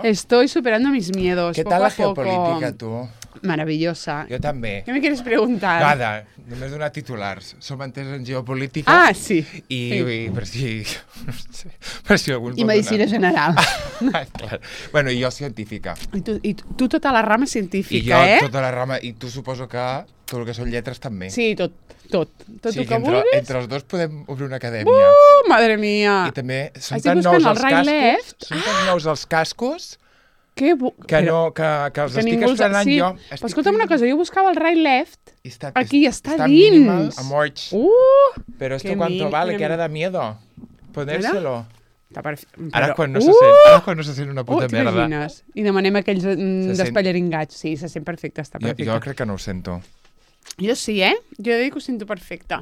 Estoy superando mis miedos. ¿Qué tal la geopolítica, tú? Maravillosa. Jo també. ¿Qué me quieres preguntar? Nada, només donar titulars. Som entès en geopolítica. Ah, sí. I per si... No sé, per si algú... I medicina general. Clar. Bueno, i jo científica. I tu tota la rama científica, I jo tota la rama... I tu suposo que tot el que són lletres també. Sí, tot. Tot sí, el que vulguis. Entre els dos podem obrir una acadèmia. Madre mía. I també són Estic tan buscant nous el els Right cascos... Left. Són tan nous els cascos... que els estic estrenant sí. jo. Però escolta'm una cosa, jo buscava el Right Left, aquí està está dins. Minimal, amorch. Pero esto cuánto vale, que ara da miedo ponérselo. Ara quan no se sent una puta merda. T'imagines? I demanem aquells despallaringats. Sí, se sent perfecte, està perfecte. Jo crec que no ho sento. Jo sí, Jo dic que ho sento perfecte.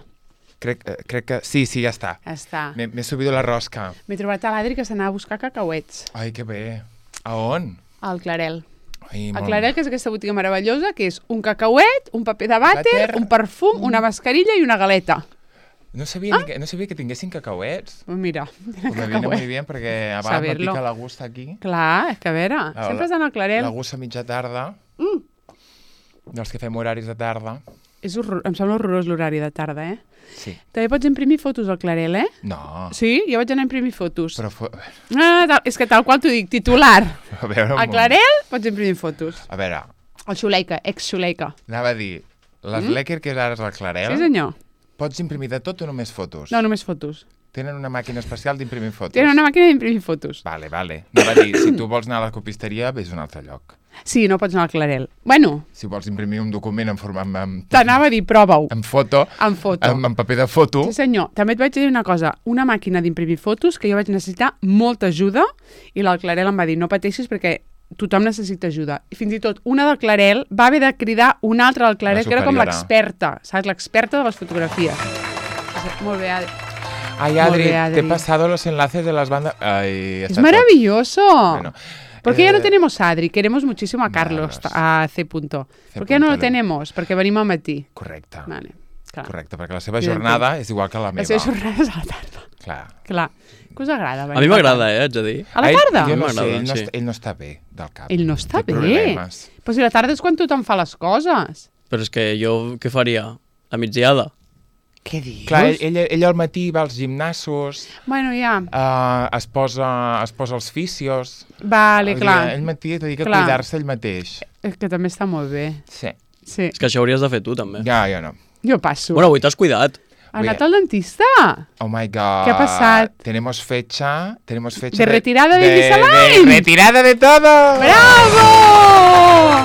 Crec que... Sí, ja està. Ja està. M'he subido la rosca. M'he trobat a l'Adri que s'anava a buscar cacauets. Ai, que bé. A on? Al Clarel. Ai, el Clarel, que és aquesta botiga meravellosa, que és un cacauet, un paper de vàter, un perfum, una mascarilla i una galeta. No sabia que tinguessin cacauets. Pues mira, me viene muy bien, perquè abans me pica la gusta aquí. Clar, és que a veure, sempre has d'anar al Clarel. La gusta a mitja tarda. Dels que fem horaris de tarda. Em sembla horrorós l'horari de tarda, Sí. També pots imprimir fotos al Clarel, No. Sí, jo vaig anar a imprimir fotos. Però és que tal qual t'ho dic, titular. A veure, al Clarel pots imprimir fotos. A veure. El Xuleika, ex-Xuleika. Anava a dir, les Lecker, que ara és el Clarel... Sí, senyor. Pots imprimir de tot o només fotos? No, només fotos. Tenen una màquina especial d'imprimir fotos? Tenen una màquina d'imprimir fotos. Vale. Anava a dir, si tu vols anar a la copisteria, vés a un altre lloc. Sí, no pots anar al Clarel. Bueno... Si vols imprimir un document en format... T'anava a dir, prova-ho. En foto. En foto. En paper de foto. Sí, senyor. També et vaig dir una cosa. Una màquina d'imprimir fotos que jo vaig necessitar molta ajuda i el Clarel em va dir, no pateixis perquè tothom necessita ajuda. I fins i tot una del Clarel va haver de cridar una altra del Clarel, que era com l'experta, saps? L'experta de les fotografies. Molt bé, Adri. Ay, Adri, te he pasado los enlaces de las bandas... Ay, es maravilloso. Bueno, ¿por qué ya no tenemos a Adri? Queremos muchísimo a Carlos, a C. ¿Por qué no lo tenemos? Perquè venim al matí. Correcte. Vale, clar. Correcte, perquè la seva jornada és igual que la meva. La seva jornada és a la tarda. Clar. Què us agrada? A mi m'agrada, haig de dir. A la tarda? Jo no sé, ell no està bé del cap. Ell no està bé? Problemes. Però si la tarda és quan tothom fa les coses. Però és que jo què faria? A migdiada? Què dius? Clar, ell al matí va als gimnasos, bueno, ja. Es posa els fisios. Vale, clar. Ell matí dedica a cuidar-se ell mateix. És que també està molt bé. Sí. És que això hauries de fer tu, també. Ja, jo no. Jo passo. Bueno, avui t'has cuidat. Ha anat al dentista. Oh my God. ¿Qué ha pasado? Tenemos fecha de retirada de Invisalign. De retirada de todo. ¡Bravo!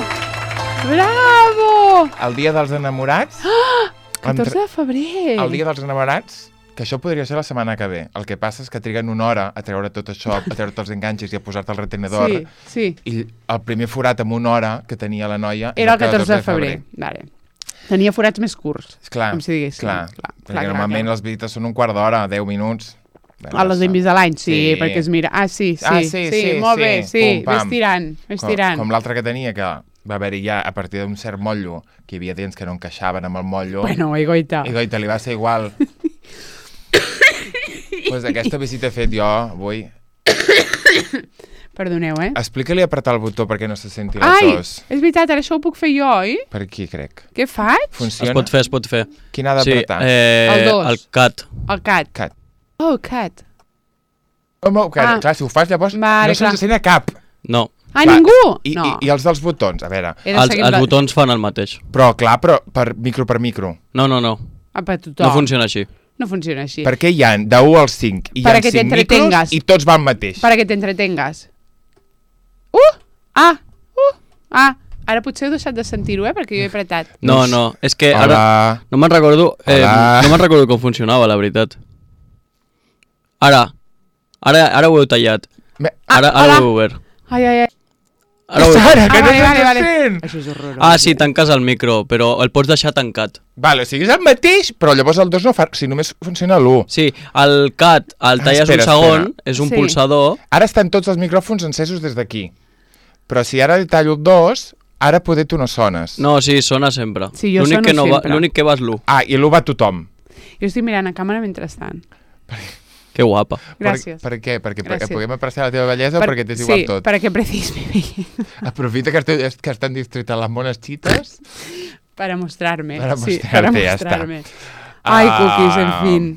¡Bravo! El dia dels enamorats. 14 de febrer. El dia dels enamorats, que això podria ser la setmana que ve. El que passa és que triguen una hora a treure tot això, a treure els enganxes i a posar-te el retenedor. Sí. I el primer forat amb una hora que tenia la noia era el 14 de febrer. Vale. Tenia forats més curts, com si diguéssim. Clar. Perquè normalment les visites són un quart d'hora, 10 minuts. A les d'Invisalign, sí, perquè es mira. Sí, molt bé, ves tirant. Com l'altre que tenia, que va haver-hi ja, a partir d'un cert motllo, que hi havia dents que no encaixaven amb el motllo. Bueno, i goita, li va ser igual. Pues aquesta visita he fet jo avui. Perdoneu, Explica-li apretar el botó perquè no se senti la tos. És veritat, ara això ho puc fer jo, oi? Per aquí, crec. Què faig? Funciona? Es pot fer. Quin ha d'apretar? El 2. El cat. El cat. Oh, cat. Clar, si ho fas llavors no se'ns sent a cap. No. Ningú? I els dels botons, a veure. Els botons fan el mateix. Però, clar, per micro. No. Per tothom. No funciona així. No funciona així. Perquè hi ha de 1 al 5 i hi ha 5 micros i tots van mateix. Para que t'entretengues. Ara potser heu deixat de sentir-ho, perquè jo he apretat. No, és que ara no me'n recordo com funcionava, la veritat. Ara ho heu tallat. Ara ho heu obert. Ai. Sara, que no estàs fent? Això és horrorós. Sí, tanques el micro, però el pots deixar tancat. Vale, o sigui, és el mateix, però llavors el 2 no fa... Si només funciona l'1. Sí, el cat el talles un segon, és un pulsador... Ara estan tots els micròfons encesos des d'aquí. Però si ara li tallo el 2, ara poder tu no sones. No, sí, sona sempre. Sí, jo sono sempre. L'únic que va és l'1. I l'1 va tothom. Jo estic mirant a càmera mentrestant. Que guapa. Gràcies. Per què? Perquè puguem apreciar la teva bellesa o perquè t'és igual tot? Sí, perquè apreciis mi bellesa. Aprofita que estan distreta les mones xites. Para mostrarme. Sí, para mostrarme. Ai, cookies, en fin.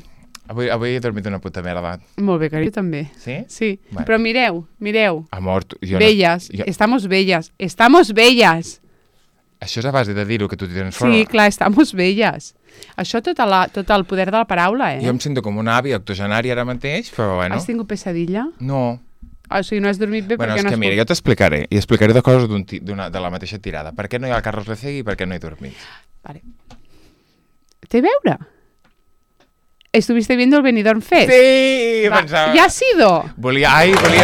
Avui he dormit una puta merda. Molt bé, carinyo, també. Sí? Sí, bueno. Però mireu. Amor, bellas, estamos bellas. Això és a base de dir-ho, que tu tens fora. Sí, clar, estamos bellas. Això tot el poder de la paraula, Jo em sento com una àvia octogenària ara mateix, però bueno. Has tingut pesadilla? No. O sigui, no has dormit bé perquè no has... Mira, jo t'explicaré, i explicaré de coses de la mateixa tirada. Per què no hi ha el Carlos Lecegui i per què no he dormit? Vale. ¿Te veure? ¿Estuviste viendo el Benidorm Fest? Sí, pensava... ¿Ya ha sido? Volia fer...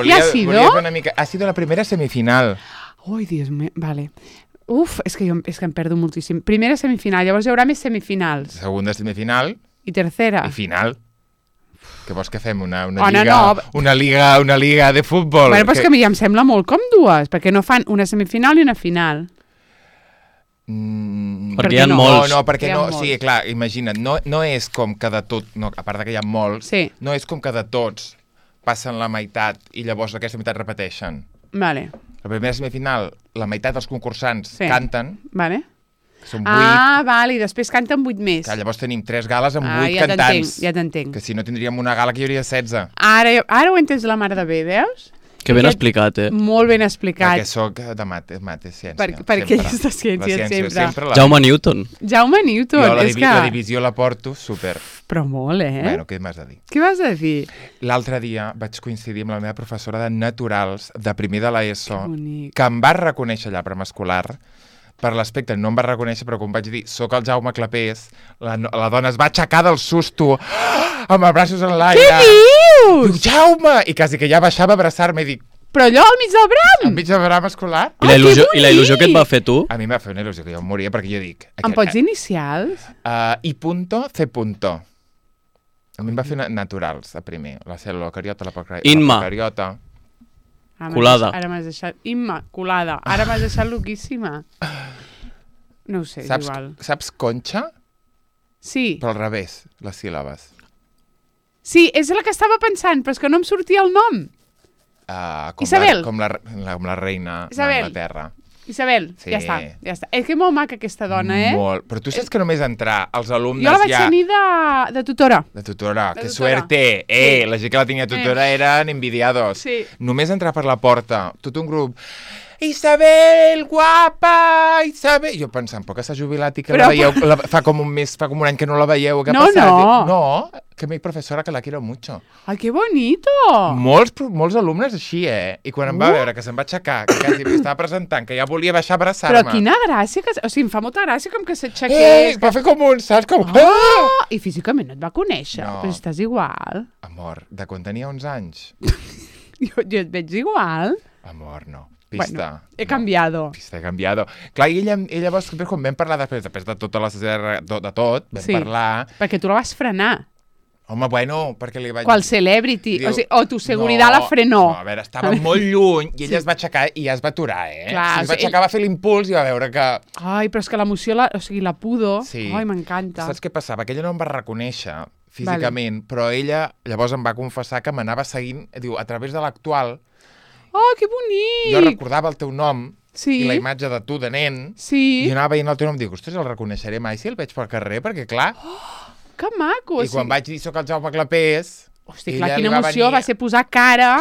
¿Ya ha sido? Ha sido la primera semifinal. Ai, Dios mío, vale. Uf, és que em perdo moltíssim. Primera semifinal, llavors hi haurà més semifinals. Segunda semifinal. I tercera. I final. Què vols que fem? Una liga de futbol? Bueno, però és que a mi ja em sembla molt com dues, perquè no fan una semifinal i una final. Perquè hi ha molts. No, perquè no, sí, clar, imagina't, no és com que de tot, no, a part que hi ha molts, no és com que de tots passen la meitat i llavors aquesta meitat repeteixen. Vale. La primera semifinal, la meitat dels concursants canten. Vale. Són 8. Vale, i després canten 8 més. Que llavors tenim 3 gales amb 8 cantants. Ja t'entenc. Que si no tindríem una gala que hi hauria 16. Ara ho he entès la mar de bé, veus? Que ben explicat, Molt ben explicat. Perquè soc de mates, ciència. Perquè ell és de ciència sempre. Jaume Newton. Jo la divisió la porto super. Però molt, Bueno, què m'has de dir? Què vas a dir? L'altre dia vaig coincidir amb la meva professora de naturals de primer de l'ESO, que em va reconèixer allà preescolar. Per l'aspecte no em va reconèixer, però quan vaig dir soc el Jaume Clapés, la dona es va aixecar del susto amb els braços en l'aire. Què dius? Diu, Jaume! I quasi que ja baixava a abraçar-me i dic... Però allò al mig del bram! Al mig del bram escolar. I la il·lusió que et va fer tu? A mi em va fer una il·lusió que jo em moria perquè jo dic... Em pots dir inicials? I punto, C punto. A mi em va fer naturals, a primer. La cèl·lula cariota, la procariota. Colada. Ara m'has deixat... Colada. Ara m'has deixat loquíssima. No ho sé, és igual. Saps conxa? Sí. Però al revés, les síl·labes. Sí, és la que estava pensant, però és que no em sortia el nom. Isabel. Com la reina d'Anglaterra. Isabel, sí. Ja està. És que és molt maca aquesta dona, Molt. Però tu saps que només entrar als alumnes jo la vaig tenir de tutora. De tutora. Que suerte. Sí. La gent que la tenia tutora eren envidiados. Sí. Només entrar per la porta, tot un grup... Isabel, guapa, Isabel... Jo pensant, però que s'ha jubilat i que la veieu... Fa com un any que no la veieu. Què ha passat? No, que mi professora que la quiero mucho. Ai, que bonito! Molts alumnes així, I quan em va veure que se'm va aixecar, que quasi m'estava presentant, que ja volia baixar a abraçar-me. Però quina gràcia, o sigui, em fa molta gràcia com que s'aixequés. Va fer com un, saps? Com... I físicament no et va conèixer, però estàs igual. Amor, de quan tenia 11 anys. jo et veig igual. Amor, no. Pista. Bueno, he cambiado. Pista, he cambiado. Clar, i ella llavors, quan vam parlar després de tota la de tot, vam parlar... Perquè tu la vas frenar. Home, bueno, perquè li vaig... Qual celebrity. Diu, o tu seguridad la frenó. No, a veure, estava molt lluny i ella es va aixecar i ja es va aturar, Clar, es va aixecar, va fer l'impuls i va veure que... Ai, però és que l'emoció, o sigui, la pudor... Sí. Ai, m'encanta. Saps què passava? Que ella no em va reconèixer físicament, però ella llavors em va confessar que m'anava seguint, diu, a través de l'actual... Oh, que bonic! Jo recordava el teu nom i la imatge de tu de nen i anava veient el teu nom i dic, ostres, el reconeixeré mai si el veig pel carrer, perquè clar... Que maco! I quan vaig dir soc el Jaume Clapés... Hosti, clar, quina emoció, va ser posar cara...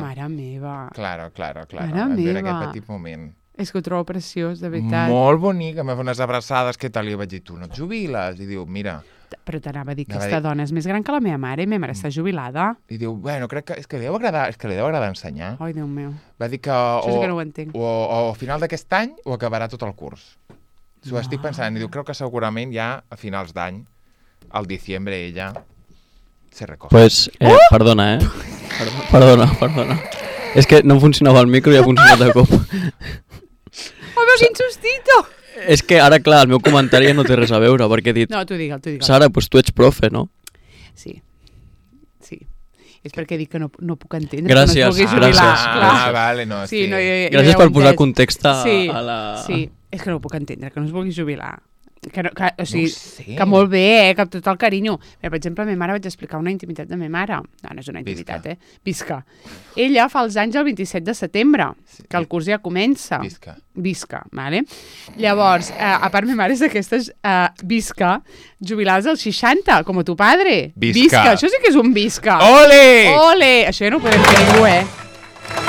Mare meva! Claro. Mare meva! Aquest petit moment. És que ho trobo preciós, de veritat. Molt bonic, em va fer unes abraçades, què tal? I vaig dir, tu no et jubiles? I diu, mira... Però t'anava a dir que aquesta dona és més gran que la meva mare i meva mare està jubilada. I diu, bueno, crec que és que li deu agradar ensenyar. Ai, Déu meu. Va dir que això sí que no ho entenc. O a final d'aquest any o acabarà tot el curs. Ho estic pensant. I diu, crec que segurament ja a finals d'any, al diciembre, ella se recoge. Pues, perdona, Perdona. És que no funcionava el micro i ha funcionat de cop. Home, quin sustito! És que ara, clar, el meu comentari no té res a veure, perquè he dit... No, tu digue'l. Sara, doncs tu ets profe, no? Sí. És perquè dic que no puc entendre. Gràcies, que no es vulgui jubilar. Vale, no. Sí, no, gràcies per posar context a la... Sí, és que no ho puc entendre, que no es vulgui jubilar. o sigui, que molt bé, que amb tot el carinyo. Per exemple, a ma mare vaig explicar una intimitat de ma mare. No és una intimitat, Visca. Ella fa els anys el 27 de setembre, que el curs ja comença. Visca, vale? Llavors, a part, ma mare és d'aquestes visca, jubilades als 60, com a tu padre. Visca. Això sí que és un visca. Ole! Ole! Això ja no ho podem fer ningú,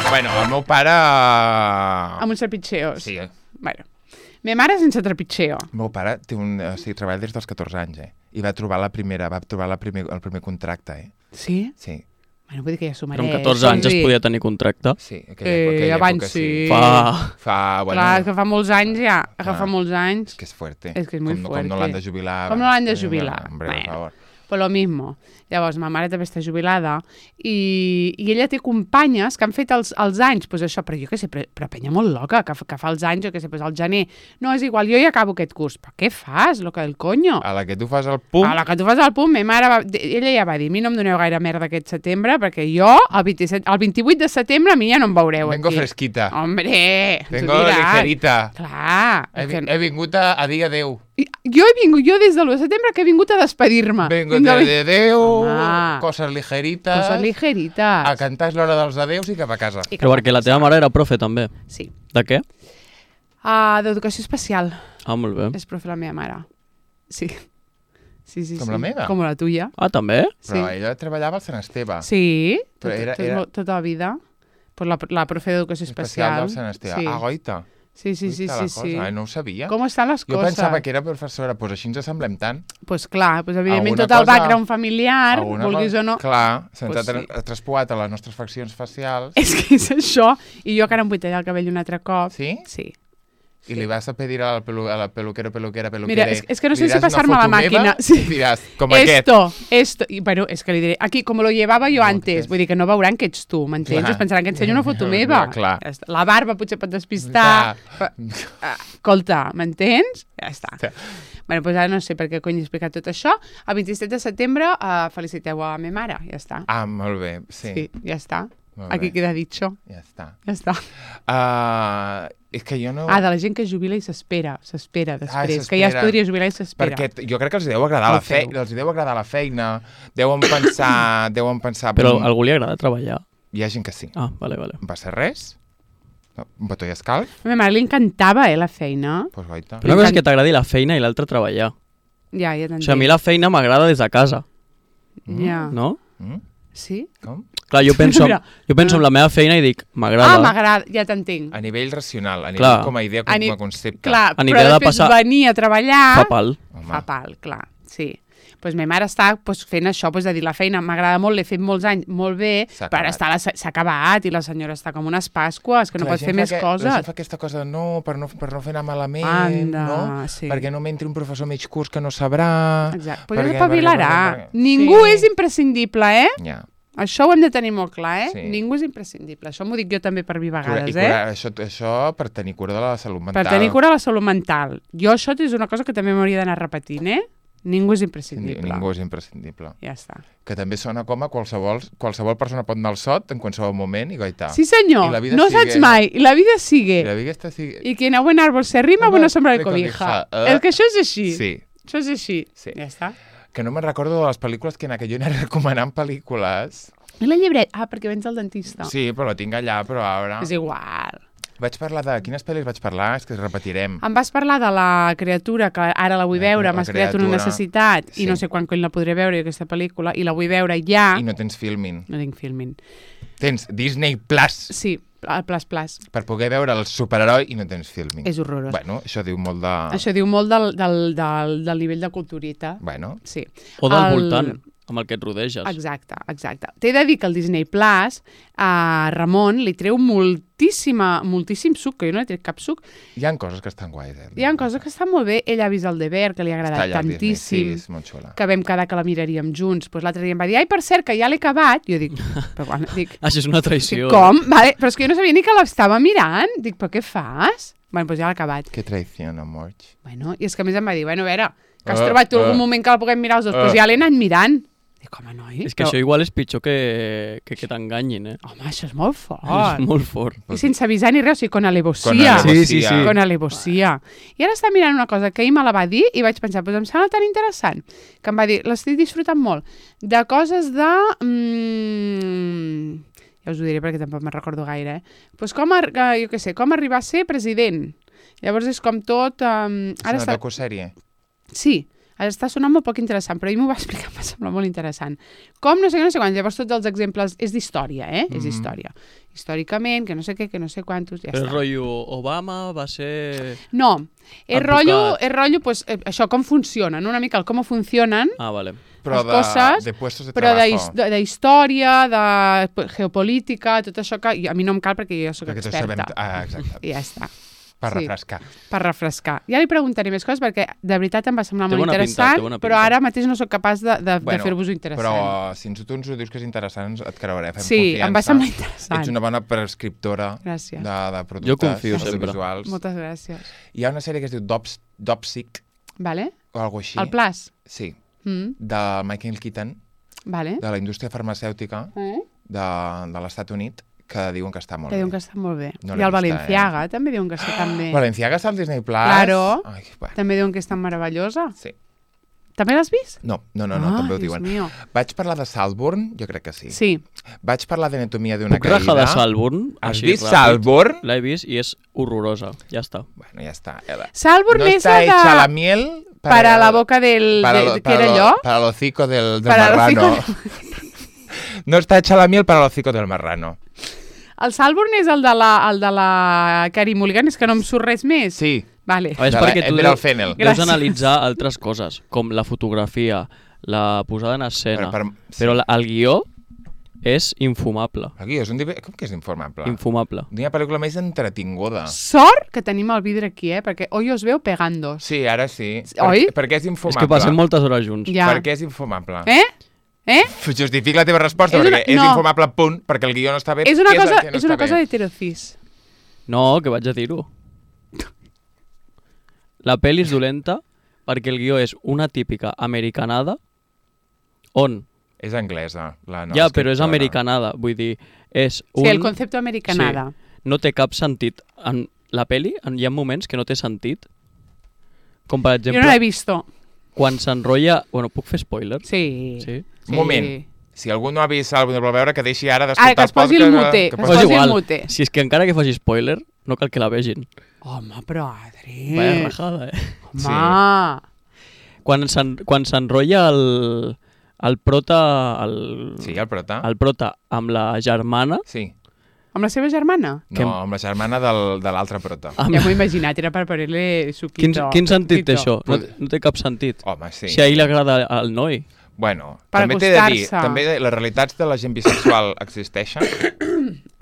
Bueno, el meu pare... Amb uns trepitxeos. Sí. Bueno. Ma mare sense trepitxeo. El meu pare treballa des dels 14 anys, I va trobar el primer contracte, Sí? Sí. Bueno, vull dir que ja s'ho mereix. Però amb 14 anys es podia tenir contracte? Sí, aquella abans època sí. Bueno, clar, que fa molts anys ja. Que fa molts anys. És que és fuerte. És que és molt fuerte. Com no l'han de jubilar. Com no l'han de jubilar. Hombre, por favor. Pues lo mismo. Llavors, ma mare també està jubilada i ella té companyes que han fet els anys, pues això, però jo què sé, però penya molt loca, que fa els anys, jo què sé, pues al gener. No, és igual, jo ja acabo aquest curs. Però què fas, lo que del coño? A la que tu fas el pum. A la que tu fas el pum, ma mare, ella ja va dir, a mi no em doneu gaire merda aquest setembre, perquè jo, el 28 de setembre, a mi ja no em veureu Vengo aquí. fresquita. Hombre, Vengo ligerita. Clar. He vingut a dir adeu. Jo des de l'1 de setembre que he vingut a despedir-me. Vengo a dir adeu, coses ligerites. Coses ligerites. A cantar és l'hora dels adeus i cap a casa. Però perquè la teva mare era profe, també. Sí. De què? D'educació especial. Molt bé. És profe la meva mare. Sí. Sí. Com la meva? Com la tuya. També? Però ella treballava al Sant Esteve. Sí, tota la vida. Pues la profe d'educació especial. Especial del Sant Esteve. Sí. Goita. Sí. No ho sabia. Com estan les coses? Jo pensava que era professora, doncs així ens assemblem tant. Doncs clar, evidentment tot el background familiar, vulguis o no... Clar, se'ns ha traspuat a les nostres faccions facials. És que és això. I jo que ara em vull tallar el cabell un altre cop. Sí? Sí. I li vas a pedir a la peluquera. Mira, és que no sé si passar-me la màquina. Sí. Diràs, com Esto. I, bueno, és que li diré, aquí, com lo llevava jo antes, vull dir que no veuran que ets tu, m'entens? Es pensaran que ensenyo una foto meva. Clar. La barba potser pot despistar. Escolta, m'entens? Ja està. Sí. Bueno, doncs ara no sé per què cony he explicat tot això. El 27 de setembre feliciteu a ma mare, ja està. Molt bé, sí. Sí, ja està. Aquí queda dicho. Ja està. És que jo no... de la gent que es jubila i s'espera després, que ja es podria jubilar i s'espera. Perquè jo crec que els deu agradar la feina, deuen pensar... Però a algú li agrada treballar? Hi ha gent que sí. Vale. Va ser res? Un petó i escalf? A ma mare li encantava, la feina. Pues goita. Però una cosa és que t'agradi la feina i l'altra treballar. Ja t'entenc. O sigui, a mi la feina m'agrada des de casa. Ja. No? Sí? Com? Clar, jo penso en la meva feina i dic, m'agrada. M'agrada, ja t'entenc. A nivell racional, a nivell com a idea, com a concepte. Clar, però després venir a treballar... Fa pal. Fa pal, clar, sí. Doncs ma mare està fent això, de dir la feina m'agrada molt, l'he fet molts anys, molt bé, però ara s'ha acabat i la senyora està com unes pasques, que no pot fer més coses. La gent fa aquesta cosa, per no fer anar malament, perquè no m'entri un professor mig curs que no sabrà... Exacte, però espavilarà. Ningú és imprescindible, Ja. Això ho hem de tenir molt clar, Ningú és imprescindible. Això m'ho dic jo també per vivar vegades, Això per tenir cura de la salut mental. Per tenir cura de la salut mental. Jo això és una cosa que també m'hauria d'anar repetint, Ningú és imprescindible. Ningú és imprescindible. Ja està. Que també sona com a qualsevol persona pot anar al sot en qualsevol moment i goitar. Sí, senyor. No saps mai. I la vida sigue. I quien a buen árbol se arrima, buena sombra le cobija. És que això és així. Sí. Això és així. Ja està. Que no me'n recordo de les pel·lícules que en aquell jo anava recomanant pel·lícules. I la llibret? Perquè vens al dentista. Sí, però la tinc allà, però ara... És igual. Vaig parlar de... Quines pel·lis vaig parlar? És que repetirem. Em vas parlar de la criatura, que ara la vull veure, m'has creat una necessitat, i no sé quan la podré veure, aquesta pel·lícula, i la vull veure ja... I no tens Filmin. No tinc Filmin. Tens Disney Plus. Sí, el Plus. Per poder veure el superheroi i no tens Filmin. És horrorós. Bueno, això diu molt de... Això diu molt del nivell de culturita. Bueno. Sí. O del voltant, amb el que et rodeges. Exacte. T'he de dir que el Disney Plus a Ramon li treu moltíssim suc, que jo no he tret cap suc. Hi ha coses que estan guais, Hi ha coses que estan molt bé. Ell ha vist el Deber, que li ha agradat tantíssim. Sí, és molt xula. Que vam quedar que la miraríem junts. Pues l'altre dia em va dir, per cert, que ja l'he acabat. Jo dic, però quan? Això és una traïció. Com? Vale, però és que jo no sabia ni que l'estava mirant. Dic, però què fas? Bueno, doncs ja l'ha acabat. Que traïció, amor. Bueno, i és que a més em va dir, bueno, a veure, que has trobat tu algun moment que la puguem mirar els dos, doncs ja l'he anat mirant. Dic, home, noi... És que això igual és pitjor que t'enganyin, Home, això és molt fort. És molt fort. I sense avisar ni res, o sigui, con alevosía. Sí. Con alevosía. I ara està mirant una cosa que ell me la va dir i vaig pensar, doncs em sembla tan interessant, que em va dir, l'estic disfrutant molt, de coses de... ja us ho diré perquè tampoc me'n recordo gaire, Pues com, jo què sé, com arribar a ser president. Llavors és com tot... És una docusèrie? Sí, està sonant molt poc interessant, però ell m'ho va explicar, em va semblar molt interessant. Com no sé quan, llavors tots els exemples és d'història, És història. Històricament, que no sé què, que no sé quantos, ja però està. el rotllo Obama va ser... No, és rotllo, pues, això, com funcionen, una mica el com funcionen vale. Però les coses, de puestos de però trabajo. de història, de geopolítica, tot això que a mi no em cal perquè jo soc experta. Exacte. I ja està. Per refrescar. Per refrescar. Ja li preguntaré més coses perquè de veritat em va semblar molt interessant, pinta. Però ara mateix no sóc capaç de fer-vos-ho interessant. Però si tu ens ho dius que és interessant, et creuré, fem confiança. Sí, em va semblar interessant. Ets una bona prescriptora de productes jo confio sempre. Visuals. Moltes gràcies. Hi ha una sèrie que es diu Dopsic, vale. o alguna així. El Plus? Sí, de Michael Keaton, vale. de la indústria farmacèutica de l'Estat Unit, que diuen que està molt bé. Que diuen que està molt bé. No I el Balenciaga també diuen que està tan bé. Balenciaga està al Disney Plus. Claro. Ai, bueno. També diuen que és tan meravellosa. Sí. També l'has vist? No, també ho diuen. Mío. Vaig parlar de Saltburn? Jo crec que sí. Sí. Vaig parlar d'Anatomia d'una caïda. Puc rajar de Saltburn? Has vist Saltburn? L'he vist i és horrorosa. Ja està. Bueno, ja està. Saltburn és la de... No está hecha la miel... Para la boca del... ¿Qué era allò? Para el hocico del marrano. No está hecha la miel para el hocico del marrano. El Saltburn és el de la Carey Mulligan, és que no em surt res més. Sí. Vale. És perquè tu deus analitzar altres coses, com la fotografia, la posada en escena, però el guió és infumable. El guió és com que és infumable? Infumable. Una pel·lícula més entretinguda. Sort que tenim el vidre aquí, perquè hoy os veu pegando. Sí, ara sí. Oi? Perquè és infumable. És que passem moltes hores junts. Ja. Perquè és infumable. Justific la teva resposta, perquè és infumable, punt, perquè el guió no està bé. És una cosa d'heterocis. No, que vaig a dir-ho. La pel·li és dolenta perquè el guió és una típica americanada on... És anglesa, la nova ja, però és americanada, vull dir, és un... Sí, el concepte americanada. Sí, no té cap sentit. En la pel·li hi ha moments que no té sentit, com per exemple... Jo no l'he vist. Quan s'enrotlla... Bueno, puc fer spoiler? Sí. Un moment. Si algú no ha vist algú no vol veure, que deixi ara d'escoltar que es posi el mute. Que es posi el mute. Si és que encara que faci spoiler, no cal que la vegin. Home, però Adri... Vaya rajada, Home! Sí. Quan s'enrotlla el prota... Sí, el prota. El prota amb la germana... Sí. Amb la seva germana? No, amb la germana de l'altre prota. Ja m'ho he imaginat, era per poner-li suquito. Quin sentit té això? No té cap sentit. Home, sí. Si a ell li agrada al noi. Bueno, per també t'he de dir, també les realitats de la gent bisexual existeixen.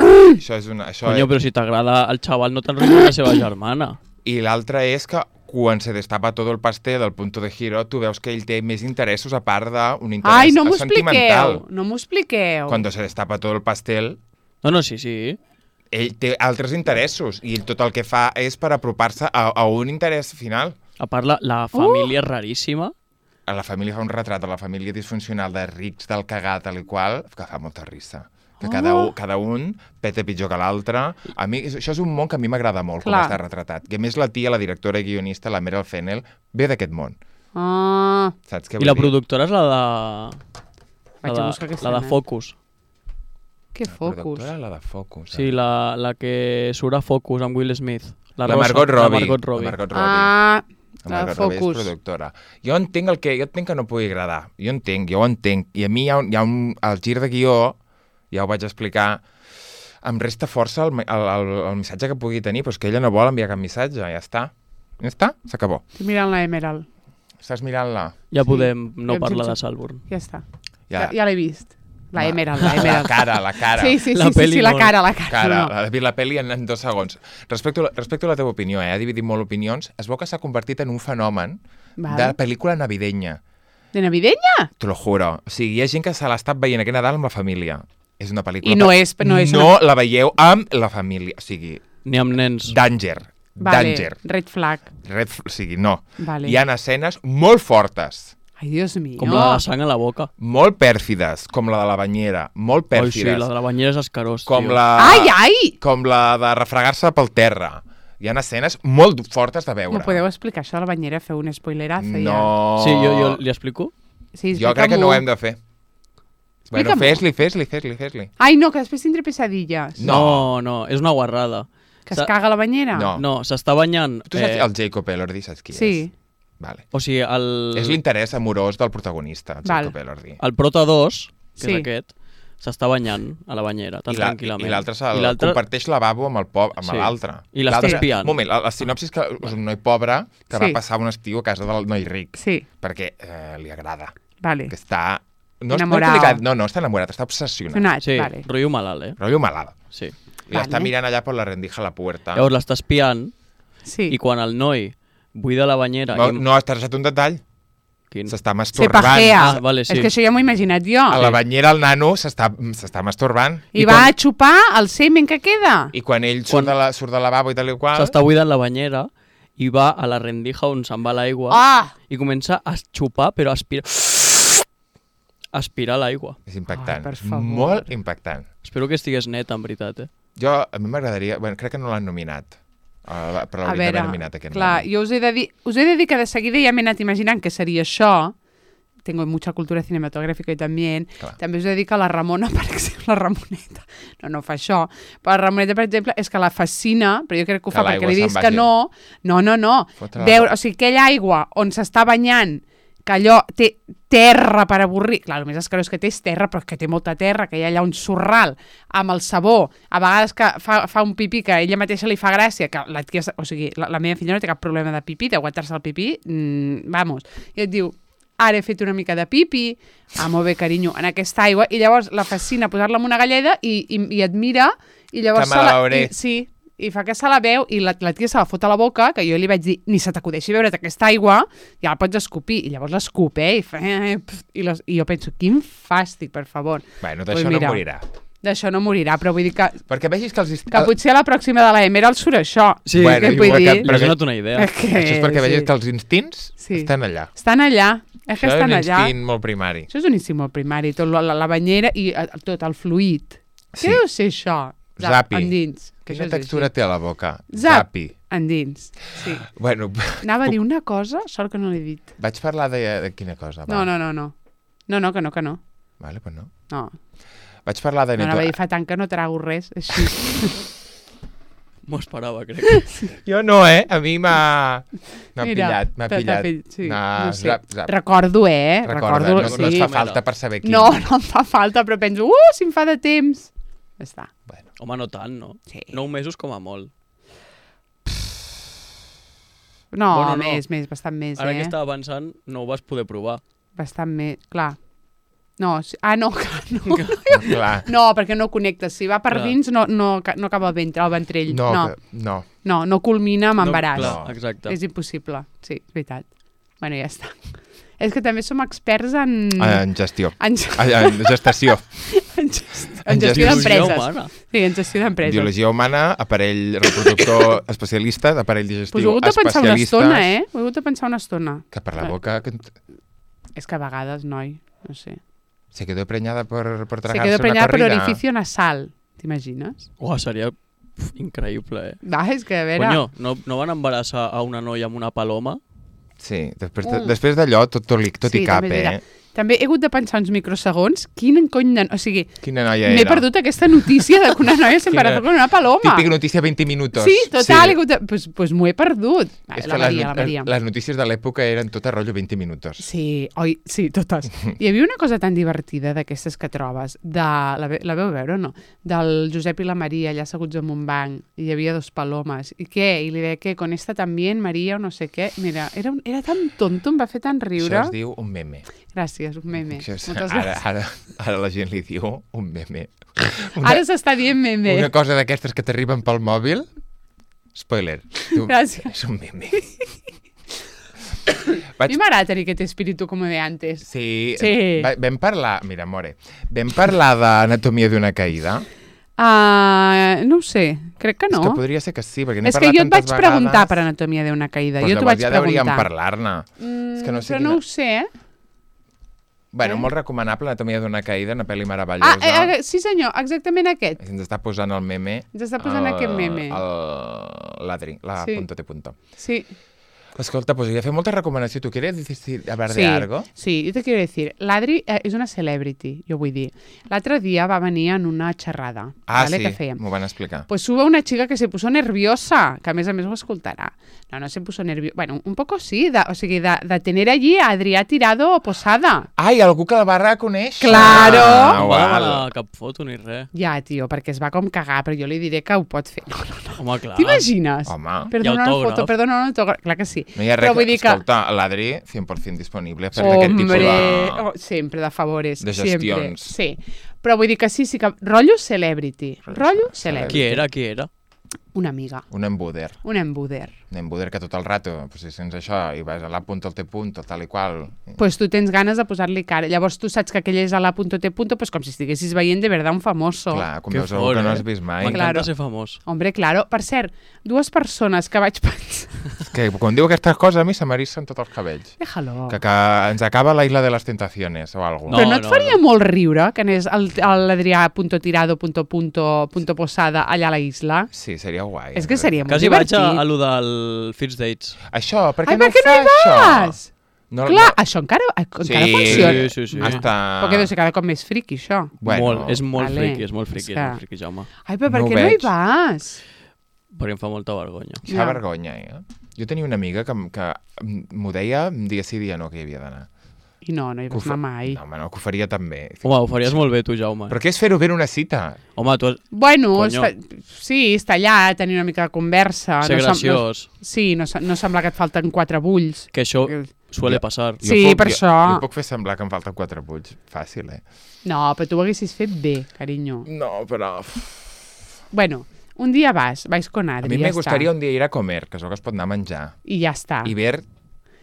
Això és una... Coño, però si t'agrada el xaval no t'enrotlles la seva germana. I l'altra és que quan se destapa tot el pastel del punto de giro, tu veus que ell té més interessos a part d'un interès Ai, no m'ho sentimental. expliqueu, no m'ho expliqueu. Quan se destapa tot el pastel... No, sí. Ell té altres interessos i tot el que fa és per apropar-se a un interès final. A part, la família és raríssima. A la família fa un retrat de la família disfuncional de rics, del cagat, tal i qual, que fa molta risa. Que cada un peta pitjor que l'altre. A mi, això és un món que a mi m'agrada molt, com està retratat. I a més la tia, la directora i guionista, la Meryl Fennell, ve d'aquest món. Saps què vull dir? I la productora és la de Focus. Què Focus? La de Focus. Sí, la que surt a Focus amb Will Smith. La Margot Robbie. La Focus. És productora. Jo entenc que no pugui agradar. Jo ho entenc. I a mi hi ha el gir de guió, ja ho vaig explicar, em resta força el missatge que pugui tenir, però és que ella no vol enviar cap missatge, ja està. Ja està, s'acabó. Estic mirant la Emerald. Estàs mirant-la? Ja podem no parlar de Saltburn. Ja està. Ja l'he vist. La Emerald. La cara. Sí, la cara. La pel·li en 2 segons. Respecto a la teva opinió, ha dividit molt opinions, es veu que s'ha convertit en un fenomen de pel·lícula navideña. De navideña? Te lo juro. O sigui, hi ha gent que se l'ha estat veient aquest Nadal amb la família. És una pel·lícula... I no és no la veieu amb la família. O sigui... Ni amb nens. Danger. Red flag. O sigui, no. Vale. Hi ha escenes molt fortes. Ai, Dios mío. Com la de sang a la boca. Molt pèrfides, com la de la banyera. Molt pèrfides. Sí, la de la banyera és escarós, com tio. Ai! Com la de refregar-se pel terra. Hi ha escenes molt fortes de veure. M'ho podeu explicar, això de la banyera? Feu un spoilerazo, ja. No. Sí, jo li explico? Sí, jo crec que no ho hem de fer. Bueno, fes-li. Ai, no, que després tindré pesadilles. No, és una guarrada. Que es caga a la banyera? No, s'està banyant... Tu saps el Jacob Elordi, saps qui és? Sí. Vale. O sigui, és l'interès amorós del protagonista, el Jacob Elordi. El Prota 2, que és aquest, s'està banyant a la banyera, tan tranquil·lament. I l'altre comparteix lavabo amb l'altre. I l'està espiant. Un moment, la sinopsi és que és un noi pobre que va passar un estiu a casa del noi ric. Sí. Perquè li agrada. Vale. Que està... Enamorat. No, està enamorat, està obsessionat. Sí, rotllo malalt, Rotllo malalt. Sí. I l'està mirant allà per la rendija a la puerta. Llavors l'està espiant i quan el noi buida la banyera... No, has trasat un detall. Quin? S'està masturbant. Se pajea. Vale, sí. És que això ja m'ho he imaginat jo. A la banyera el nano s'està masturbant. I va a xupar el semen que queda. I quan ell surt del lavabo i tal i qual... S'està buidant la banyera i va a la rendija on se'n va l'aigua i comença a xupar, però aspirar l'aigua. És impactant. Molt impactant. Espero que estigués net, en veritat, a mi m'agradaria... Bueno, crec que no l'han nominat. Però l'haurien d'haver nominat aquest clar, jo us he de dir que de seguida ja m'he anat imaginant que seria això. Tengo mucha cultura cinematográfica y también. També us he de dir que la Ramona, per exemple, la Ramoneta, no fa això, però la Ramoneta, per exemple, és que la fascina, però jo crec que ho fa perquè li dius que no. Veure, o sigui, aquella aigua on s'està banyant, que allò té terra per avorrir, clar, el més escarós que té és terra, però que té molta terra, que hi ha allà un sorral amb el sabó, a vegades que fa un pipí que a ella mateixa li fa gràcia, que la tia, o sigui, la meva filla no té cap problema de pipí, d'aguantar-se el pipí, vamos, i et diu, ara he fet una mica de pipi, molt bé, carinyo, en aquesta aigua, i llavors la fascina posar-la en una galleda i et mira, i llavors... Que me la veuré. Sí, i fa que se la veu i la tia se la fot a la boca, que jo li vaig dir, ni se t'acudeixi veure't aquesta aigua, ja la pots escopir, i llavors l'escup, i jo penso, quin fàstic, per favor. Bueno, d'això no morirà. D'això no morirà, però vull dir que... Perquè vegis que que potser a la pròxima de la Emerald surt això. Sí, vull dir... Però has donat una idea. Això és perquè vegis que els instints estan allà. Estan allà. És que estan allà. Això és un instint molt primari. Això és un instint molt primari. Tot la banyera i tot el fluid. Què deu ser això? Zapi. Endins. Quina textura té a la boca? Zapi. Endins. Sí. Bueno... Anava a dir una cosa, sort que no l'he dit. Vaig parlar de quina cosa? No. No, que no. Vale, pues no. No. Vaig parlar de... No, anava a dir, fa tant que no trago res, així. M'ho esperava, crec. Jo no, A mi m'ha pillat. Sí, no sé. Recordo, Recordo, no et fa falta per saber quin. No em fa falta, però penso, si em fa de temps. Ja està. Bueno. Home, no tant, no? Sí. 9 mesos com a molt. No, més, bastant més, Ara que estava pensant, no ho vas poder provar. Bastant més, clar. No, no. Clar. No, perquè no connectes. Si va per dins, no acaba el ventrell. No culmina amb embaràs. Clar, exacte. És impossible. Sí, és veritat. Bueno, ja està. És que també som experts en... En gestió. En gestació. En gestió d'empreses. Sí, en gestió d'empreses. Biologia humana, aparell reproductor especialista, aparell digestiu especialista... Pues ho he hagut de pensar una estona, Ho he hagut de pensar una estona. Que per la boca... És que a vegades, noi, no sé. Se quedó preñada por tragarse una corrida. Se quedó preñada por orificio nasal, t'imagines? Seria increïble, És que, a veure... Coño, no van embarassar a una noia amb una paloma? Sí, després d'allò tot hi cap, També he hagut de pensar uns microsegons quin cony de... O sigui, quina noia era? M'he perdut aquesta notícia de que una noia s'embarazó con una paloma. Típica notícia 20 minuts. Sí, total. Sí. Pues m'ho he perdut. És que les notícies de l'època eren tot a rotllo 20 minuts. Sí, sí, totes. Hi havia una cosa tan divertida d'aquestes que trobes. La veu veure o no? Del Josep i la Maria allà asseguts en un banc i hi havia 2 palomes. I què? I li deia, con esta també, Maria, o no sé què. Mira, era tan tonto, em va fer tan riure. Això es diu un meme. Gràcies, un meme. Ara la gent li diu un meme. Ara s'està dient meme. Una cosa d'aquestes que t'arriben pel mòbil, spoiler. Gràcies. És un meme. A mi m'agrada tenir aquest espíritu com de antes. Sí. Vam parlar, mira, more, vam parlar d'Anatomia d'una caïda. No ho sé, crec que no. És que podria ser que sí, perquè n'he parlat tantes vegades. És que jo et vaig preguntar per Anatomia d'una caïda. Pues jo t'ho vaig ja preguntar. hauríem parlar-ne. Però no ho sé, Bueno, molt recomanable, Anatomia d'una caïda, una pel·li meravellosa. Sí senyor, exactament aquest. Ens està posant el meme. Ens està posant aquest meme. L'Adri, la sí. punto te punto. Sí. Escolta, pues voy a hacer mucha recomendación. ¿Tú quieres hablar de algo? Sí, yo te quiero decir. L'Adri és una celebrity, jo vull dir. L'altre dia va venir en una xerrada. ¿vale? Sí, que fèiem. M'ho van explicar. Pues hubo una chica que se puso nerviosa, que a més ho escoltarà. No se puso nerviosa. Bueno, un poco sí, o sigui, de tener allí a Adrià Tirado posada. Ai, algú que la va reconèixer. Claro! No va demanar cap foto ni res. Ja, tio, perquè es va com cagar, però jo li diré que ho pot fer. No. Home, clar. T'imagines? Home. Perdona una foto, perdona un autògraf. Clar que sí. No hi ha res, escolta, l'Adri 100% disponible per aquest tipus de... sempre de favores. De gestions. Sempre. Sí. Però vull dir que sí que... Rotllo celebrity. Rotllo celebrity. Qui era? Una amiga. Un embuder. Un embuder. Un embuder que tot el rato, pues, si sents això i vas a la punto, al te punto, tal i qual... Pues tu tens ganes de posar-li cara. Llavors tu saps que aquell és a la punto, te punto, pues com si estiguessis veient de verdad un famoso. Clar, com veus algú que no has vist mai. M'encanta ser famós. Hombre, claro. Per cert, dues persones que vaig pensar... Que quan diu aquestes coses a mi se m'erissen tots els cabells. Déjalo. Que ens acaba la Isla de les Tentaciones o alguna cosa. Però no et faria molt riure que anés l'Adrià punto tirado punto posada allà a la isla? Sí, seria guai. És que seria molt divertit. divertit. Quasi vaig a lo del First Dates. Això, per què no ho fa això? No, clar, això encara funciona. Sí. Hasta... Però que deu ser cada cop més friqui, això. Bueno, és molt friqui, Jaume. Ai, però per què no hi vas? Perquè em fa molta vergonya. Fa vergonya, Jo tenia una amiga que m'ho deia dia sí, dia no, que hi havia d'anar. I no hi vas anar mai. No, home, no, que ho faria també. Home, ho faries molt bé, tu, Jaume. Però què és fer-ho bé en una cita? Home, tu has... Bueno, sí, estar allà, tenir una mica de conversa. Ser graciós. Sí, no sembla que et falten 4 bulls. Que això suele passar. Sí, per això. Jo puc fer semblar que em falten 4 bulls. Fàcil, No, però tu ho haguessis fet bé, carinyo. No, però... Bueno, un dia vais con Adri, a mi me gustaría un dia ir a comer, que és el que es pot anar a menjar. I ja està. I ver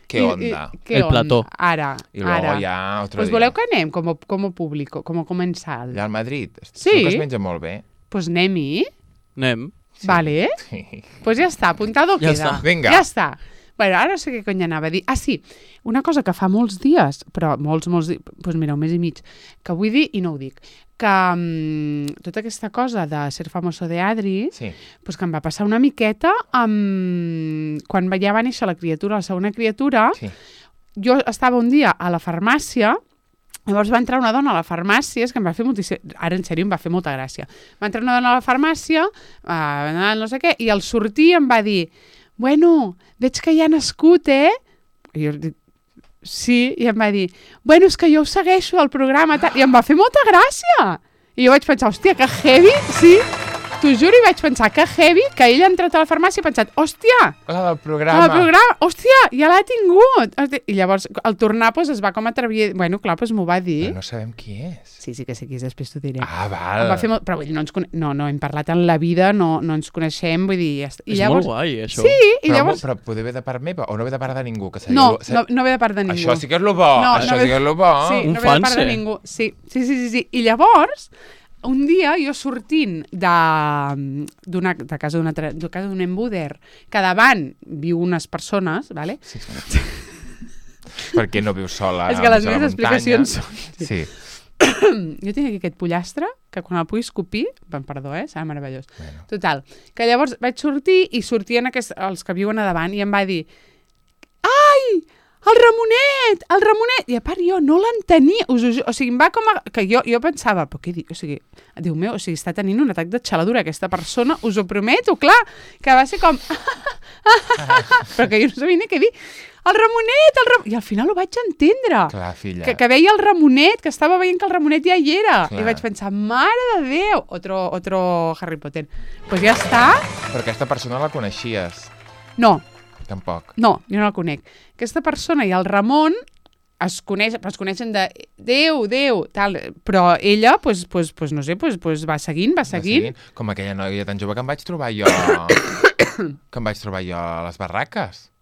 qué onda. El plató. Ara. I luego ya otro pues dia. Voleu que anem com a público, com a comensal? Allà al Madrid? Sí. Segur que es menja molt bé. Pues anem-hi. Anem. Sí. Vale. Sí. Pues ja està, apuntado ja queda. Està. Vinga. Ja està. Bueno, ara no sé què cony anava a dir. Ah, sí, una cosa que fa molts dies, però molts dies, doncs mira, un mes i mig, que vull dir i no ho dic, que tota aquesta cosa de ser famoso de Adri, sí. Pues que em va passar una miqueta quan ja va néixer la criatura, la segona criatura, sí. Jo estava un dia a la farmàcia. Llavors va entrar una dona a la farmàcia, és que em va fer moltíssim... Ara, en sèrio, em va fer molta gràcia. Va entrar una dona a la farmàcia, no sé què, i al sortir em va dir bueno, veig que ja ha nascut, I jo dic, sí, i em va dir bueno, és que jo ho segueixo al programa, i em va fer molta gràcia. I jo vaig pensar, hòstia, que heavy, sí. T'ho juro, i vaig pensar que heavy, que ell ha entrat a la farmàcia i ha pensat, hòstia, la del programa, hòstia, ja l'ha tingut. I llavors, al tornar, pues, es va com atrevir... Bueno, clar, pues, m'ho va dir. Però no sabem qui és. Sí que sé qui és, després t'ho diré. Ah, val. Va fer molt... Però no hem parlat en la vida, no ens coneixem, vull dir... Ja està. És llavors... molt guai, això. Sí, i llavors... Però poder ve de part meva o no ve de part de ningú? Que no ve de part de ningú. Això sí que és lo bo, això sí que és lo bo. Sí, no ve de part de ningú. Sí. I llavors... Un dia, jo sortint de casa d'un embuder, que davant viu unes persones, ¿vale? Sí. Per què no vius sola? És que les meves explicacions són... Sí. Jo tinc aquí aquest pollastre, que quan el pugui escopir, perdó, serà meravellós. Bueno. Total, que llavors vaig sortir i sortien els que viuen a davant i em va dir ai, el Ramonet! I a part jo no l'entenia, o sigui, em va com a... Que jo pensava, però què dic? O sigui, Déu meu, o sigui, està tenint un atac de xaladura aquesta persona, us ho prometo, clar, que va ser com... però que jo no sabia ni què dir. El Ramonet! I al final ho vaig entendre. Clar, filla. Que veia el Ramonet, que estava veient que el Ramonet ja hi era. Clar. I vaig pensar, mare de Déu! Otro Harry Potter. Pues ja està. Però aquesta persona la coneixies? No. Tampoc. No, jo no la conec. Aquesta persona i el Ramon es coneixen de Déu, tal, però ella, pues, no sé, pues va seguint. Com aquella noia tan jove que em vaig trobar jo... a les barraques.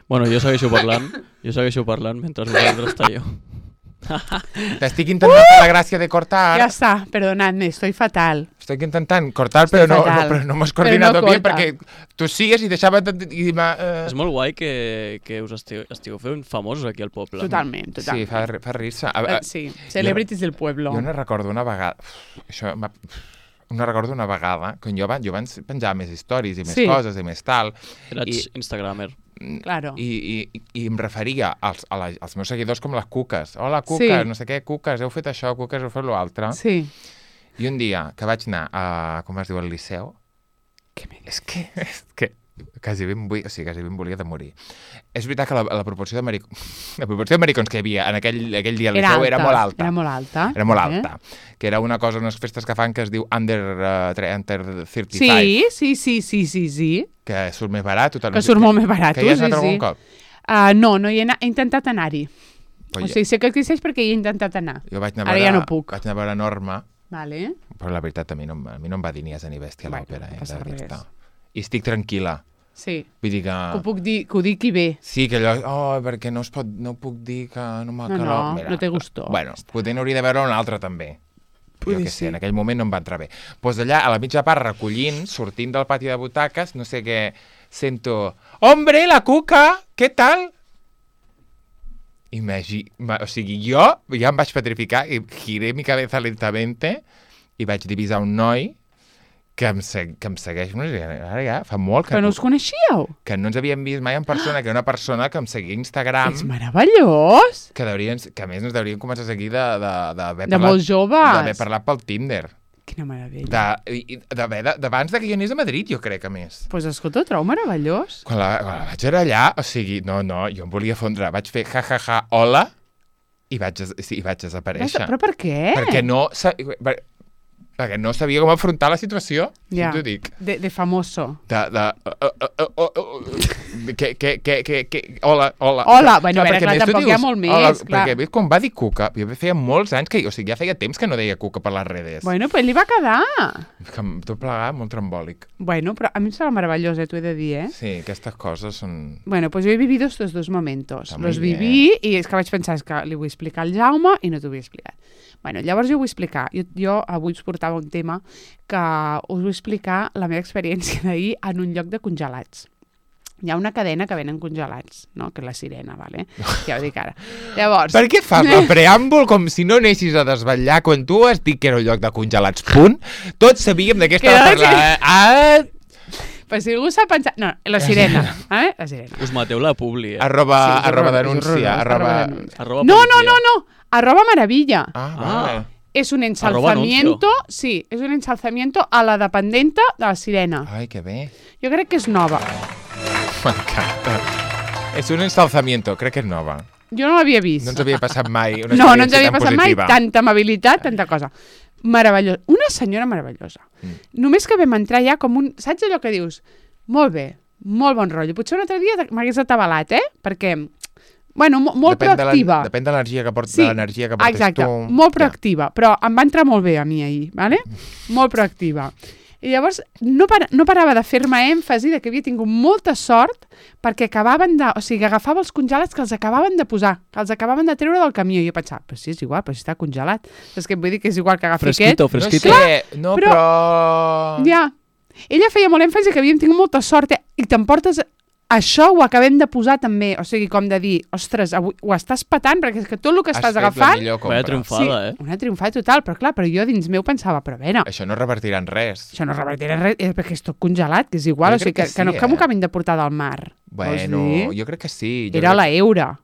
Bueno, jo segueixo parlant mentre vosaltres talleu. Te estic intentant fer la gràcia de cortar. Ja està, perdonadme, estoy fatal. Estic intentant cortar, però no m'has coordinat bé perquè tu sigues i deixava... És molt guai que us estigueu fent famosos aquí al poble. Totalment. Sí, fa rir-se. Sí, celebrities del pueblo. Jo no recordo una vegada... No recordo una vegada, quan jo abans penjava més històries i més coses i més tal. Eres instagramer. Claro. I em referia als meus seguidors com les cuques. Hola, cuques, no sé què, cuques, heu fet això, cuques, heu fet l'altre. Sí. I un dia que vaig anar a, com es diu, al Liceu, és que quasi ben volia de morir. És veritat que la proporció de maricons que hi havia en aquell dia al Liceu era molt alta. Era molt alta. Que era una cosa, unes festes que fan que es diu Under 35. Sí. Que surt més barat. Que surt molt més barat. Que hi has anat algun cop? No he intentat anar-hi. O sigui, sé que existeix perquè hi he intentat anar. Ara ja no puc. Vaig anar a veure Norma, vale. Però la veritat a mi no em va dir ni asa ni bèstia l'òpera. I estic tranquil·la. Sí, vull dir que ho dic i bé. Sí, que allò, perquè no puc dir que no m'ha calat. No té gustó. Bueno, potser n'hauria de veure un altre també. Jo què sé, en aquell moment no em va entrar bé. Doncs allà, a la mitja part, recollint, sortint del pati de butaques, no sé què, sento... Hombre, la cuca, què tal? O sigui, jo ja em vaig petrificar i giré mi cabeza lentamente i vaig divisar un noi que em segueix, ara ja fa molt que no us coneixíeu? Que no ens havíem vist mai en persona, que era una persona que em seguia a Instagram. És meravellós! Que a més ens deurien començar a seguir de molt joves. D'haver parlat pel Tinder. Quina meravella. D'abans que jo anés a Madrid, jo crec, a més. Doncs escolta, ho trobo meravellós. Quan la vaig anar allà, o sigui, no, jo em volia fondre. Vaig fer ja, hola, i vaig desaparèixer. Però per què? Perquè no sabia com afrontar la situació, si t'ho dic. De famoso. Hola. Bueno, clar, tampoc hi ha molt més. Perquè quan va dir cuca, jo feia molts anys que... O sigui, ja feia temps que no deia cuca per les redes. Bueno, però li va quedar. Tot plegat, molt trambòlic. Bueno, però a mi em sembla meravellós, t'ho he de dir, Sí, aquestes coses són... Bueno, pues yo he vivido estos dos momentos. Los viví i és que vaig pensar que li vull explicar al Jaume i no t'ho vull explicar. Bueno, llavors jo vull explicar. Jo avui us portava un tema que us vull explicar la meva experiència d'ahir en un lloc de congelats. Hi ha una cadena que venen congelats, no? Que és la Sirena, ¿vale? Ja ho dic ara. Llavors... Per què fas el preàmbul com si no anessis a desvetllar quan tu has dit que era un lloc de congelats, punt? Tots sabíem de què estava parlant. Pues si algú s'ha pensat... No, la Sirena. La Sirena. Us mateu la publi, Arroba denúncia. No. Arroba maravilla. Vale. Es un ensalzamiento... Sí, es un ensalzamiento a la dependenta de la Sirena. Ai, que bé. Jo crec que és nova. M'encanta. És un ensalzamiento, crec que és nova. Jo no l'havia vist. No ens havia passat mai una no ens havia passat mai tanta amabilitat, tanta cosa. Meravellós. Una senyora meravellosa. Només que vam entrar ja com un... Saps allò que dius? Molt bé, molt bon rotllo. Potser un altre dia m'hagués atabalat, perquè... Bueno, molt proactiva. Depèn de l'energia que portes, exacte, molt proactiva. Però em va entrar molt bé a mi ahir, ¿vale? Molt proactiva. I llavors no parava de fer-me èmfasi de que havia tingut molta sort perquè acabaven de... O sigui, agafava els congelats que els acabaven de posar, que els acabaven de treure del camió. I jo pensava, però sí, és igual, però si està congelat. És que vull dir que és igual que agafi fresquito. No sé, però... Ja. Ella feia molt èmfasi que havíem tingut molta sort i t'emportes... Això ho acabem de posar també, o sigui, com de dir, ostres, avui ho estàs patant perquè és que tot el que estàs agafant... Vaya triomfada, una triomfada total, però jo dins meu pensava, però a veure... Això no revertirà en res. Això no revertirà en res, perquè és tot congelat, que és igual, o sigui, que no m'ho acabin de portar del mar. Bueno, jo crec que sí. Era la Eura,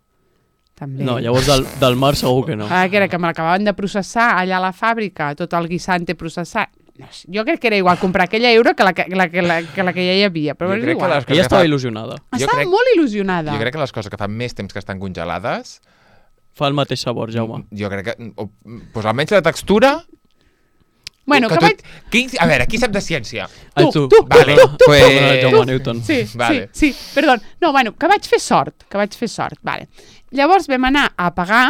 també. No, llavors del mar segur que no. Que era que me l'acabaven de processar allà a la fàbrica, tot el guisante processat. Jo crec que era igual comprar aquella euro que la que ja hi havia, però és igual. Ella estava il·lusionada. Estava molt il·lusionada. Jo crec que les coses que fan més temps que estan congelades... Fa el mateix sabor, Jaume. Jo crec que... Doncs almenys la textura... Bueno, que vaig... A veure, qui sap de ciència? Tu. Jaume Newton. Sí, perdó. No, bueno, que vaig fer sort. Vale. Llavors vam anar a pagar...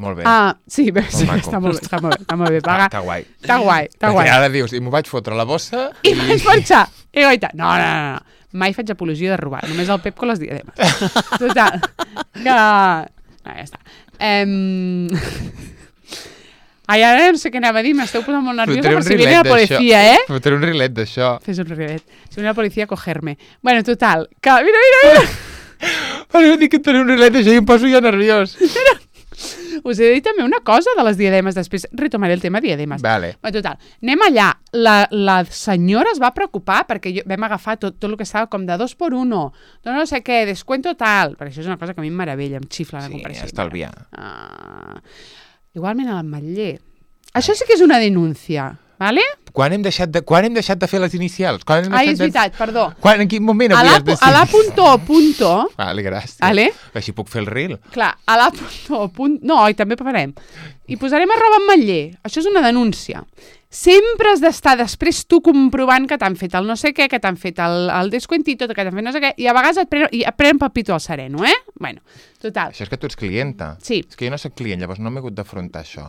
Molt bé. Sí, està molt bé pagar. Està guai. Està guai. Perquè ara dius, i m'ho vaig fotre a la bossa i vaig pensar, no. Mai faig apologia de robar, només el Pep con les diademes. Total. No, ja està. Ai, ara no sé què anava a dir, m'esteu posant molt nerviosa per si viene la policia, Fotré un rilet d'això. Fes un rilet. Si viene la policia a cogerme. Bueno, total, que... Mira! Però dic que et faré un rilet d'això i em poso jo nerviós. Us he dit també una cosa de les diademes, després retomaré el tema diademes. Vale. Bueno, total, anem allà. La senyora es va preocupar perquè vam agafar tot el que estava com de 2x1, no sé què, descuento tal, perquè això és una cosa que a mi em meravella, em xifla la comparació. Sí, estalviar. Igualment a l'Ametller. Això sí que és una denúncia, ¿vale? Quan hem deixat de fer les inicials? És veritat, perdó. En quin moment havies de A la.punto... Vale, gràcies. Vale? Així puc fer el reel. Clar, a la.punto... No, i també farem. I posarem @Ametller. Això és una denúncia. Sempre has d'estar després tu comprovant que t'han fet el no sé què, que t'han fet el descuentito, que t'han fet no sé què, i a vegades et prenen pel pito al sereno, Bueno, total. Això és que tu ets clienta. Sí. És que jo no soc client, llavors no m'he hagut d'afrontar això.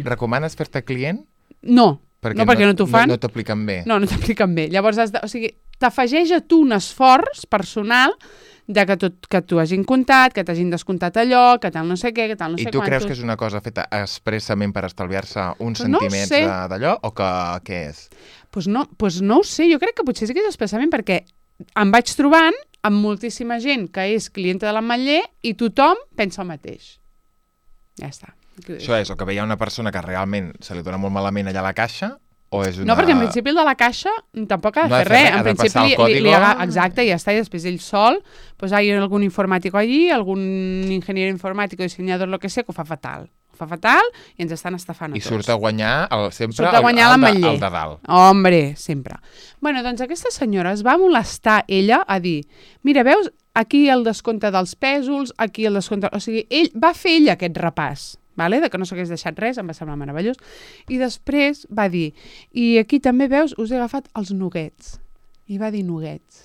Recomanes fer-te client? No. Perquè no t'ho fan. No t'apliquen bé. No t'apliquen bé. Llavors, t'afegeix a tu un esforç personal de que t'ho hagin comptat, que t'hagin descomptat allò, que tal no sé què, que tal no sé quantos. I tu creus que és una cosa feta expressament per estalviar-se uns centiments d'allò, o què és? Pues no ho sé, jo crec que potser sí que és expressament perquè em vaig trobant amb moltíssima gent que és clienta de l'Ametller i tothom pensa el mateix. Ja està. Això és, o que veia una persona que realment se li dona molt malament allà a la caixa, o és una... No, perquè en principi el de la caixa tampoc ha de fer res. En principi exacte, i ja està, i després ell sol, pues hay algún informático allí, algún ingeniero informático, diseñador, lo que sé, que ho fa fatal. Ho fa fatal i ens estan estafant a tots. I surt a guanyar sempre el de dalt. Hombre, sempre. Bueno, doncs aquesta senyora es va molestar ella a dir, mira, veus, aquí el descompte dels pèsols, aquí el descompte... O sigui, va fer ella aquest repàs. Vale? De que no s'hagués deixat res, em va semblar meravellós. I després va dir, i aquí també veus, us he agafat els nuggets. I va dir nuggets.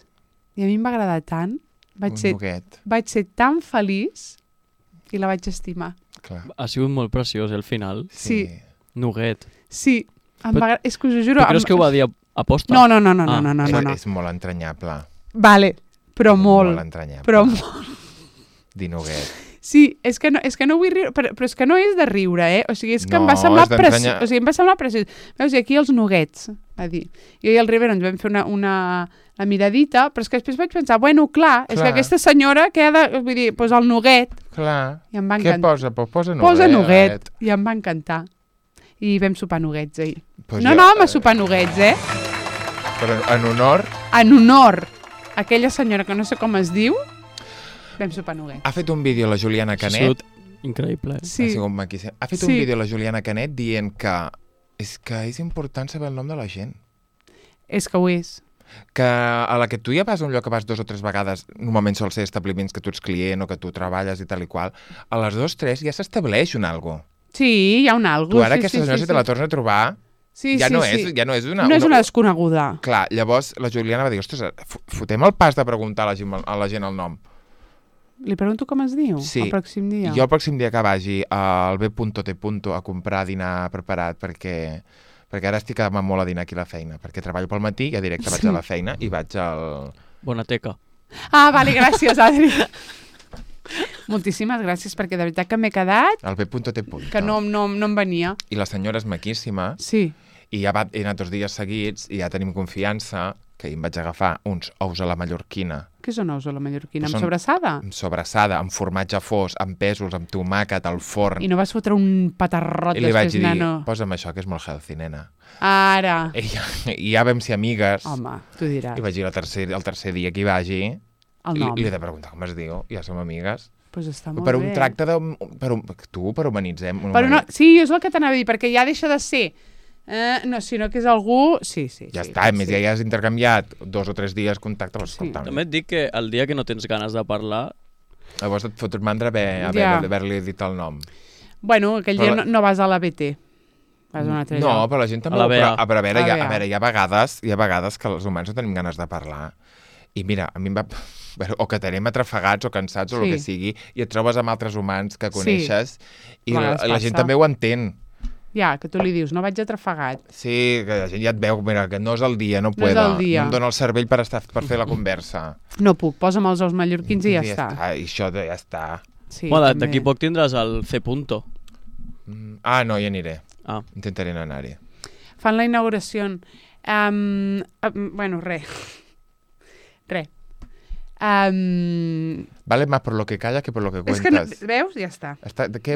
I a mi em va agradar tant. Vaig ser tan feliç i la vaig estimar. Clar. Ha sigut molt preciós, el final. Sí. Nugget. Sí. És que us ho juro... Tu creus que ho va dir a posta? No. És molt entranyable. Vale, però molt. Molt entranyable. Però molt. Dir nugget. Sí, és que no vull riure, però és que no és de riure, O sigui, és que em va semblar preciós. O sigui, em va semblar preciós. Veus, i aquí els nuggets, va dir. Jo i el Rivera ens vam fer una miradita, però és que després vaig pensar, bueno, clar, és que aquesta senyora que ha de... Vull dir, doncs el nugget. Clar. I em va encantar. Què posa? Posa nugget. Posa nugget. I em va encantar. I vam sopar nuggets ahir. No anàvem a sopar nuggets, Però en honor... En honor a aquella senyora que no sé com es diu, vam sopar nuggets. Ha fet un vídeo la Juliana Canet. Increïble. Sí. Ha fet un vídeo la Juliana Canet dient que és important saber el nom de la gent. És que ho és. Que a la que tu ja vas a un lloc que vas 2 o 3 vegades, normalment sol ser establiments que tu ets client o que tu treballes i tal i qual, a les 2 o 3 ja s'estableix un algo. Sí, hi ha un algo. Tu ara aquesta senyora si te la tornes a trobar... Ja no és una... No és una desconeguda. Clar, llavors la Juliana va dir, ostres, fotem el pas de preguntar a la gent el nom. Li pregunto com es diu, el pròxim dia. Jo el pròxim dia que vagi al B.T. a comprar dinar preparat perquè ara estic amant molt a dinar aquí a la feina, perquè treballo pel matí i a directe vaig a la feina i vaig al... Bona teca. Vale, gràcies, Adri. Moltíssimes gràcies, perquè de veritat que m'he quedat... Al B.T. Que no em venia. I la senyora és maquíssima. Sí. I ja he anat 2 dies seguits i ja tenim confiança que em vaig agafar uns ous a la mallorquina. Què són ous a la mallorquina? Amb sobrassada? Amb sobrassada, amb formatge fos, amb pèsols, amb tomàquet, al forn. I no vas fotre un patarrot després, nano? I li vaig dir, posa'm això, que és molt healthy, nena. Ara. I ja vam ser amigues. Home, tu diràs. I vaig dir el tercer dia que hi vagi. El nom. I li he de preguntar com es diu, ja som amigues. Pues està molt per bé. Un tracte de... Per humanitzem. Sí, és el que t'anava a dir, perquè ja deixa de ser... no, sinó que és algú... Sí. Ja està, a més ja has intercanviat 2 o 3 dies contacte. També et dic que el dia que no tens ganes de parlar... Llavors et fot mandra haver-li dit el nom. Bueno, aquell dia no vas a la BT. Vas a una altra lloc. No, però la gent també... Però a veure, hi ha vegades que els humans no tenim ganes de parlar. I mira, a mi em va... O que tenim atrafegats o cansats o el que sigui, i et trobes amb altres humans que coneixes i la gent també ho entén. Ja, que tu li dius, no vaig atrafegat. Sí, que la gent ja et veu, mira, que no és el dia, no puedo. No em dóna el cervell per fer la conversa. No puc, posa'm els ous mallorquins i ja està. I això ja està. Bueno, d'aquí poc tindràs el C. No, hi aniré. Intentaré no anar-hi. Fan la inauguració. Bueno, res. Vale más por lo que callas que por lo que cuentas. És que no, veus? Ja està. Què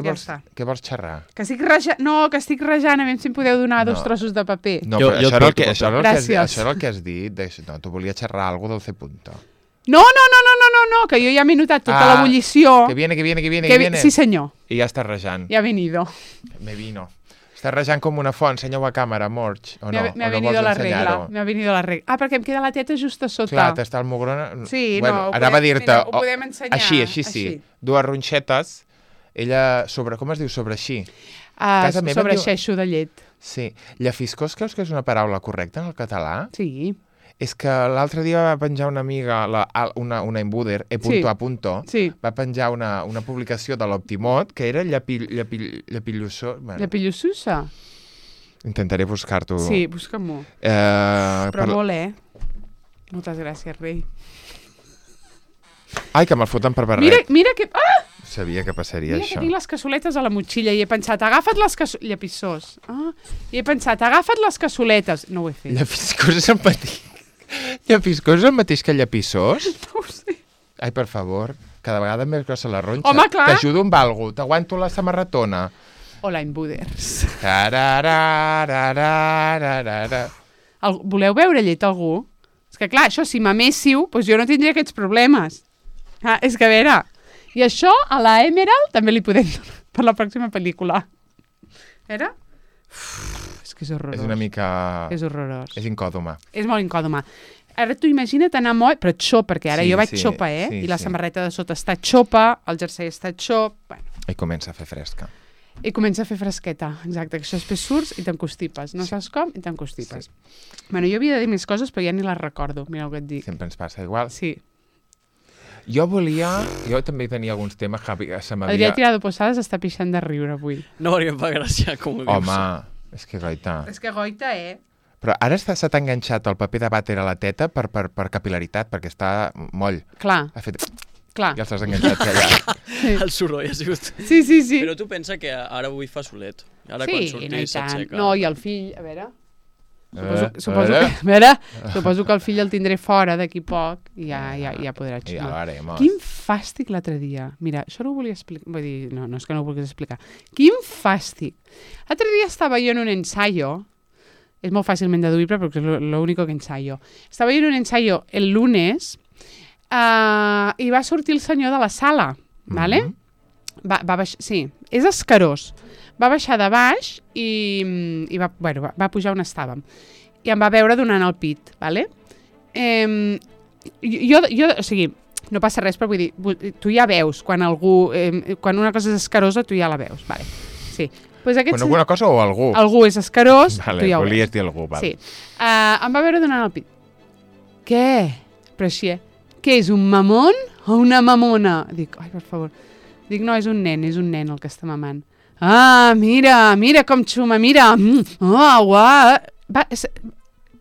vols xerrar? Que estic rejant, que estic rejant, a veure si em podeu donar 2 trossos de paper. No, però això era el que has dit. No, tu volies xerrar alguna cosa del C. No, que jo ja m'he notat tota l'ebullició. Que viene. Sí, senyor. I ja estàs rejant. Ja ha venido. Me vino. Estàs rejant com una font, ensenyeu a càmera, Morch, o no? Me ha venido la regla. Perquè em queda la teta just a sota. Clar, t'està el mugrón... Sí, bueno, anava a dir-te... Ho podem ensenyar. Així sí. 2 ronxetes, ella sobre... Com es diu? Sobre així? Sobre xeixo de llet. Sí. Llafiscós creus que és una paraula correcta en el català? Sí. És que l'altre dia va penjar una amiga, una imbuder, sí. va penjar una publicació de l'Optimot que era llapilloso... Llapillosussa? Intentaré buscar-t'ho. Sí, busca-m'ho. Però molt, Moltes gràcies, rei. Ai, que me'l foten per barret. Mira que... Sabia que passaria això. Mira que tinc les cassoletes a la motxilla i he pensat, agafa't les cassoletes... Llapissós. I he pensat, agafa't les cassoletes. No ho he fet. Llapissós és el mateix. Llapissós és el mateix que llapissós? No ho sé. Ai, per favor, cada vegada més grossa la ronxa. Home, clar. T'ajudo amb algú, t'aguanto la samarretona. Hola, imbuders. Voleu beure llet algú? És que clar, això, si m'améssiu, doncs jo no tindria aquests problemes. És que a veure... I això a la Emerald també li podem donar per la pròxima pel·lícula. Era? És que és horrorós. És una mica... És horrorós. És incòdoma. És molt incòdoma. Ara tu imagina't anar moll, però xop, perquè ara jo vaig xopa, Sí, I la samarreta de sota està xopa, el jersei està xop... Bueno. I comença a fer fresca. I comença a fer fresqueta, exacte. Que això després surts i t'encostipes. No saps com i t'encostipes. Sí. Bueno, jo havia de dir més coses, però ja ni les recordo. Mira el que et dic. Sempre ens passa igual. Sí. Jo també tenia alguns temes que se m'havia... Adrià Tirado Posadas està pixant de riure avui. No, perquè em fa gràcia, com ho dius. Home, és que goita. És que goita, Però ara se t'ha enganxat el paper de vàter a la teta per capilaritat, perquè està moll. Clar. Ha fet... Clar. Ja els has enganxat allà. El soroll ha sigut... Sí. Però tu pensa que ara avui fa solet. Ara quan surti s'aixeca. No, i el fill, a veure... Suposo que el fill el tindré fora d'aquí poc i ja podrà xumar. Ja veremos. Quin fàstic l'altre dia. Mira, això no ho volia explicar. Vull dir, no és que no ho vulguis explicar. Quin fàstic. L'altre dia estava jo en un ensayo. És molt fàcilment deduïble perquè és l'únic que ensayo. Estava jo en un ensayo el lunes i va sortir el senyor de la sala. ¿Vale? Sí, és escarós. Va baixar de baix i va pujar on estàvem. I em va veure donant el pit, ¿vale? O sigui, no passa res, però vull dir, tu ja veus quan quan una cosa és escarosa, tu ja la veus, vale? Sí. Pues quan alguna cosa o algú? Algú és escarós, vale, tu ja ho veus. Volies dir algú, vale. Sí. Em va veure donant el pit. Què? Però així, Què és, un mamón o una mamona? Dic, ai, per favor. Dic, no, és un nen el que està mamant. Ah, mira com xuma, mira.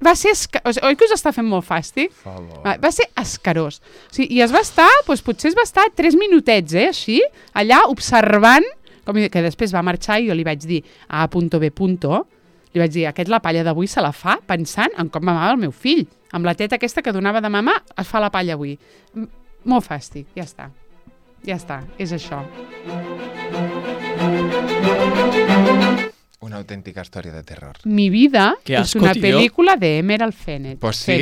Va ser escarós. Oi que us està fent molt fàstic? Va ser escarós. O sigui, i es va estar, doncs potser es va estar 3 minutets, així, allà, observant, que després va marxar i jo li vaig dir a .B. Li vaig dir, aquest la palla d'avui se la fa pensant en com mamava el meu fill. Amb la teta aquesta que donava de mamar, es fa la palla avui. Molt fàstic, ja està. Ja està, és això. Una autèntica història de terror. Mi vida és una pel·lícula de Emerald Fennell. Pues sí,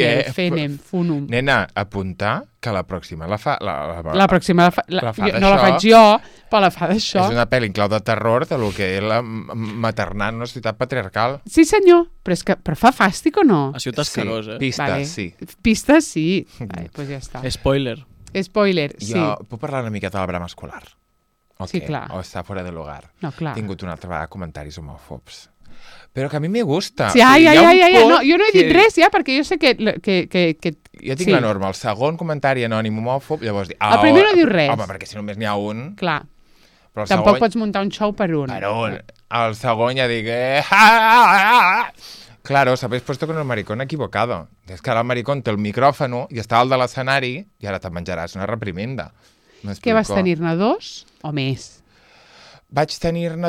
Funum. Nena, apuntar que la pròxima la fa... La pròxima no la faig jo, però la fa d'això. És una pel·li en clau de terror de lo que és la maternal en una societat patriarcal. Sí, senyor, però fa fàstic o no? Ha sigut escarós, Pistes, sí. Pistes, sí. Doncs ja està. Spoiler, sí. Jo puc parlar una miqueta de la brama escolar? Sí, clar. O està fora del hogar. No, clar. He tingut una altra vegada comentaris homòfobs. Però que a mi me gusta. Sí, no, jo no he dit res, ja, perquè jo sé que jo tinc la norma, el segon comentari anònim homòfob, llavors dir... El primer no diu res. Home, perquè si només n'hi ha un... Clar. Tampoc pots muntar un show per un. Per un. El segon ja dic... Claro, sabéis puesto con el maricón equivocado. Es que ara el maricón té el micròfono i està al de l'escenari i ara te'n menjaràs una reprimenda. Què vas tenir-ne 2 o més? Vaig tenir-ne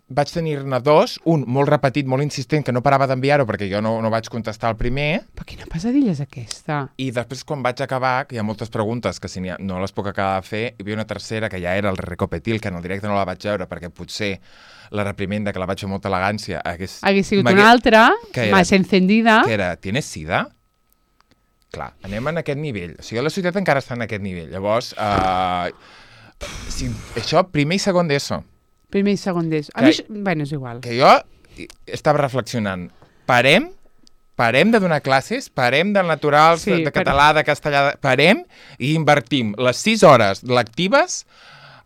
vaig tenir-ne 2, un molt repetit, molt insistent, que no parava d'enviar-ho perquè jo no vaig contestar el primer. Però quina pesadilla és aquesta? I després, quan vaig acabar, que hi ha moltes preguntes que si no les puc acabar de fer, hi havia una tercera que ja era el Recopetil, que en el directe no la vaig veure perquè potser la reprimenda, que la vaig fer amb molta elegància, hagués sigut una altra, més encendida. Que era, ¿tienes sida? Clar, anem en aquest nivell. O sigui, la societat encara està en aquest nivell. Llavors, això, primer i segon d'ESO. Primer i segon d'ESO. A mi, bueno, és igual. Que jo estava reflexionant. Parem de donar classes, parem de naturals, de català, de castellà, parem i invertim les 6 hores lectives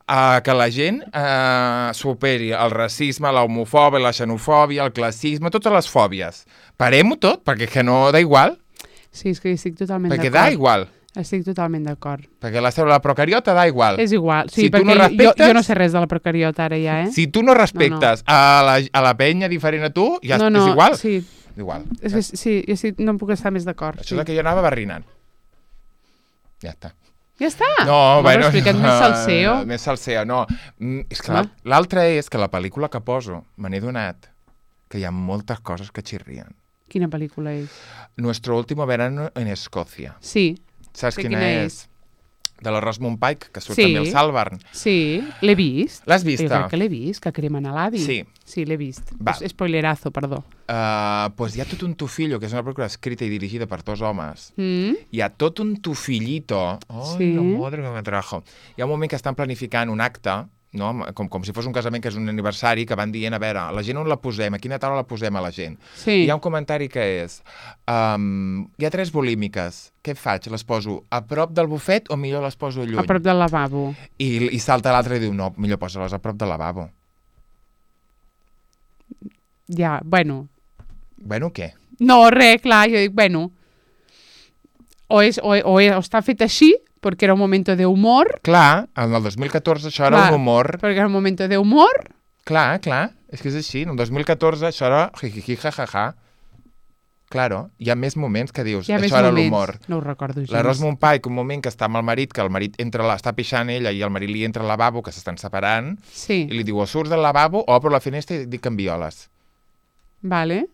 que la gent superi el racisme, l'homofòbia, la xenofòbia, el classisme, totes les fòbies. Parem-ho tot, perquè que no da igual. Sí, és que estic totalment d'acord. Perquè da igual. Estic totalment d'acord. Perquè la cèl·lula procariota da igual. És igual, sí, si perquè jo no sé res de la procariota ara ja, Si tu no respectes a la penya diferent a tu, ja és igual. Sí. Igual. És que, sí, jo no em puc estar més d'acord. Això és el que jo anava barrinant. Ja està. Ja està? No, bueno... Explica't més salseo. Més salseo, no. És que l'altre és que la pel·lícula que poso, me n'he donat que hi ha moltes coses que xirrien. Quina pel·lícula és? Nuestro último verano en Escòcia. Sí. Saps quina és? De la Rosamund Pike, que surt també al Salvarn. Sí, l'he vist. L'has vista? Jo crec que l'he vist, que cremen a l'avi. Sí. Sí, l'he vist. Spoilerazo, perdó. Pues hi ha tot un tufillo, que és una pel·lícula escrita i dirigida per 2 homes. Hi ha tot un tufillito. Ai, la madre que me trajo. Hi ha un moment que estan planificant un acte, no? Com si fos un casament, que és un aniversari, que van dient, a veure, la gent on la posem, a quina taula la posem a la gent. Sí. Hi ha un comentari que és, hi ha 3 bulímiques, què faig? Les poso a prop del bufet o millor les poso lluny? A prop del lavabo. I salta l'altre i diu, no, millor posa-les a prop del lavabo. Ja, bueno. Bueno, què? No, res, clar, jo dic, bueno, o està fet així, perquè era un moment de humor. Clar, en el 2014 això era un humor. Perquè era un moment de humor. Clar, és que és així. En el 2014 això era jijiji, jajaja. Claro, hi ha més moments que dius, això era l'humor. No ho recordo gens. La Rosamund Pike, un moment que està amb el marit, que el marit està pixant ella i el marit li entra al lavabo, que s'estan separant, i li diu, o surts del lavabo o obro la finestra i et dic que em violes. Vale.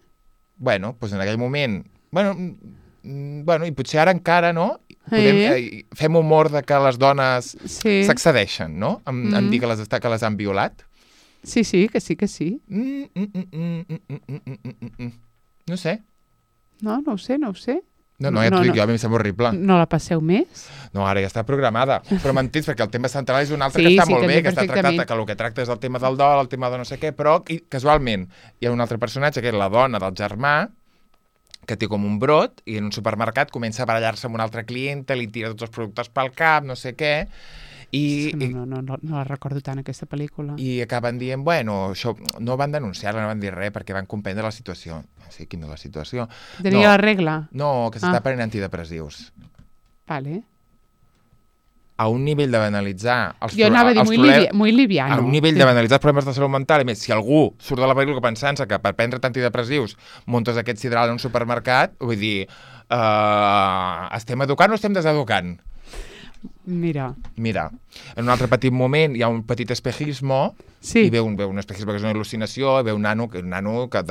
Bueno, doncs en aquell moment... Bueno, i potser ara encara, no? Fem humor de que les dones s'accedeixen, no? En dir que les han violat. Sí, que sí. No sé. No ho sé. No, ja t'ho dic jo, a mi em sembla horrible. No la passeu més? No, ara ja està programada. Però m'entens, perquè el tema central és un altre que està molt bé, que està tractat, que el que tracta és el tema del dol, el tema de no sé què, però casualment hi ha un altre personatge, que és la dona del germà, que té com un brot, i en un supermercat comença a barallar-se amb un altre cliente, li tira tots els productes pel cap, no sé què, No la recordo tant, aquesta pel·lícula. I acaben dient, bueno, això no van denunciar-la, no van dir res, perquè van comprendre la situació. Sí, quina és la situació? Tenia la regla? No, que s'està prenent antidepressius. Vale. A un nivell de banalitzar jo anava a dir muy liviano. A un nivell de banalitzar els problemes de salut mental. I més, si algú surt de la pel·lícula pensant-se que per prendre antidepressius muntes aquest sidral en un supermercat, vull dir, estem educant o estem deseducant? Mira. En un altre petit moment hi ha un petit espejismo, i veu un espejisme que és una il·lucinació, i veu un nano que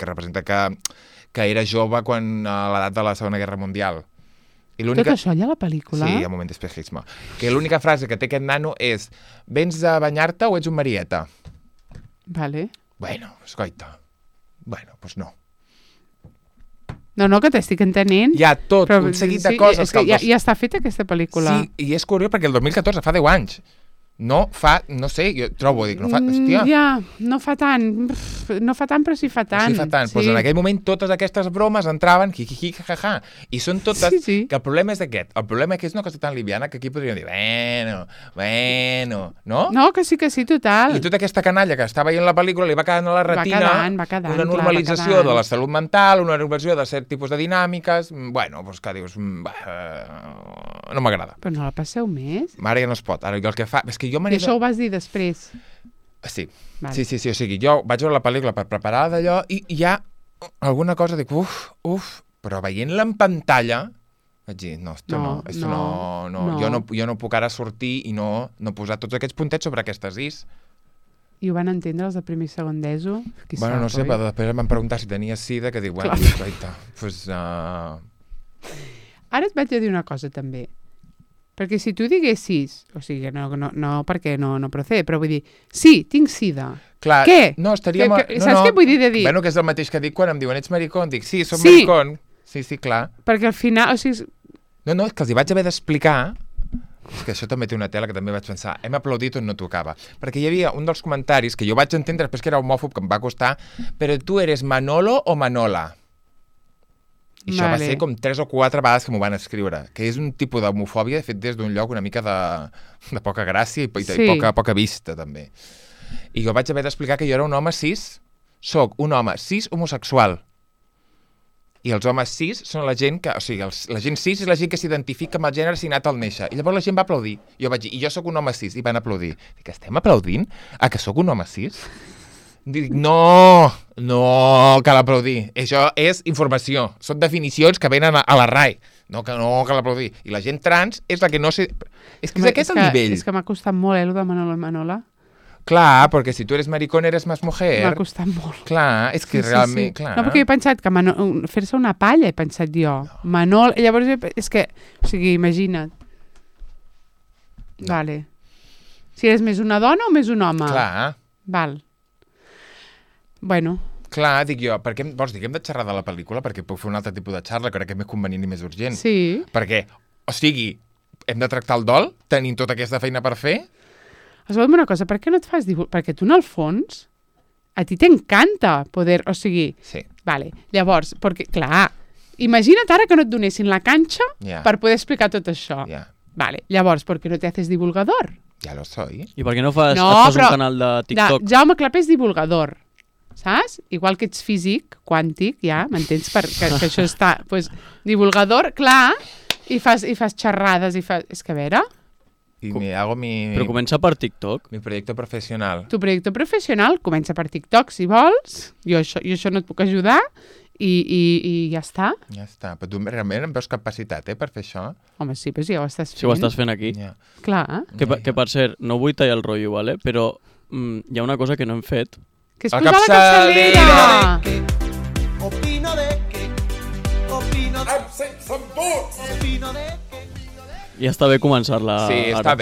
representa que era jove quan a l'edat de la Segona Guerra Mundial. Tot això hi ha a la pel·lícula? Sí, hi ha un moment d'espejisme. Que l'única frase que té aquest nano és vens a banyar-te o ets un marieta? Vale. Bueno, escoita. Bueno, doncs no. No, que t'estic entenent. Hi ha tot un seguit de coses. Que ja està feta aquesta pel·lícula. Sí, i és curiós perquè el 2014 fa 10 anys. No sé, jo trobo, hòstia. Ja, no fa tant, però sí fa tant. Sí fa tant, doncs en aquell moment totes aquestes bromes entraven, jajaja, i són totes, que el problema és aquest, el problema és que és una cosa tan liviana que aquí podríem dir, bueno, no? No, que sí, total. I tota aquesta canalla que està veient la pel·lícula li va quedant a la retina va quedant, una normalització de la salut mental, una normalització de cert tipus de dinàmiques, bueno, doncs que dius, no m'agrada. Però no la passeu més? Ara ja no es pot, ara el que fa... És que I això ho vas dir després? Sí. Vale. Sí, o sigui, jo vaig veure la pel·lícula per preparar d'allò i hi ha alguna cosa, dic, però veient-la en pantalla vaig dir, no, jo no puc ara sortir i no posar tots aquests puntets sobre aquestes is. I ho van entendre els de primer i segon d'ESO? Bueno, no sé, però després em van preguntar si tenia sida, que dic, bueno, pues... Ara et vaig a dir una cosa, també. Perquè si tu diguessis, o sigui, no perquè no procede, però vull dir, sí, tinc sida. Clar, què? No, estaria... Saps què vull dir de dir? Bueno, que és el mateix que dic quan em diuen ets maricón, dic, sí, soc maricón. Sí, clar. Perquè al final, o sigui... No, és que els hi vaig haver d'explicar, és que això també té una tela que també vaig pensar, hem aplaudit on no tocava. Perquè hi havia un dels comentaris que jo vaig entendre després que era homòfob, que em va costar, però tu eres Manolo o Manola? I això va ser com 3 o 4 vegades que m'ho van escriure, que és un tipus d'homofòbia fet des d'un lloc una mica de poca gràcia i poca vista, també. I jo vaig haver d'explicar que jo era un home cis, soc un home cis homosexual. I els homes cis són la gent que... O sigui, la gent cis és la gent que s'identifica amb el gènere assignat al néixer. I llavors la gent va aplaudir. Jo vaig dir, i jo sóc un home cis, i van aplaudir. Dic, estem aplaudint a que sóc un home cis? Dic, no, cal aplaudir. Això és informació. Són definicions que venen a la RAE. No cal aplaudir. I la gent trans és la que no sé... És que és aquest el nivell. És que m'ha costat molt, el de Manolo i Manola. Clar, perquè si tu eres maricón eres más mujer. M'ha costat molt. Clar, és que realment... Clar. No, perquè he pensat que fer-se una palla, he pensat jo. No. Manol, llavors és que... O sigui, imagina't. No. Vale. Si eres més una dona o més un home? Clar. Val. Bueno. Clar, dic jo, per què vols dir que hem de xerrar de la pel·lícula? Perquè puc fer un altre tipus de xarra, crec que és més convenient i més urgent. Sí. Perquè, o sigui, hem de tractar el dol? Tenim tota aquesta feina per fer? Escolta'm una cosa, per què no et fas perquè tu en el fons a ti t'encanta poder, o sigui... Sí. Vale, llavors, perquè, clar, imagina't ara que no et donessin la canxa per poder explicar tot això. Vale, llavors, ¿por qué no te haces divulgador? Ja lo soy. I per què no fas un canal de TikTok? Jaume Clapé és divulgador, saps? Igual que ets físic, quàntic, ja, m'entens? Que això està... Pues, divulgador, clar, i fas xerrades, i fas... És que a veure... I hago Però comença per TikTok. Mi proyecto profesional. Tu projecte professional comença per TikTok, si vols. Jo això no et puc ajudar i ja està. Ja està. Però tu realment em veus capacitat, per fer això? Home, sí, però si ja ho estàs fent. Si ho estàs fent aquí. Yeah. Clar. Que per cert, no vull tallar el rotllo, ¿vale? Però hi ha una cosa que no hem fet. Que és posar la capçalera! Opino de que... Opino de... Opino de que... Ja està bé començar-la. Sí, està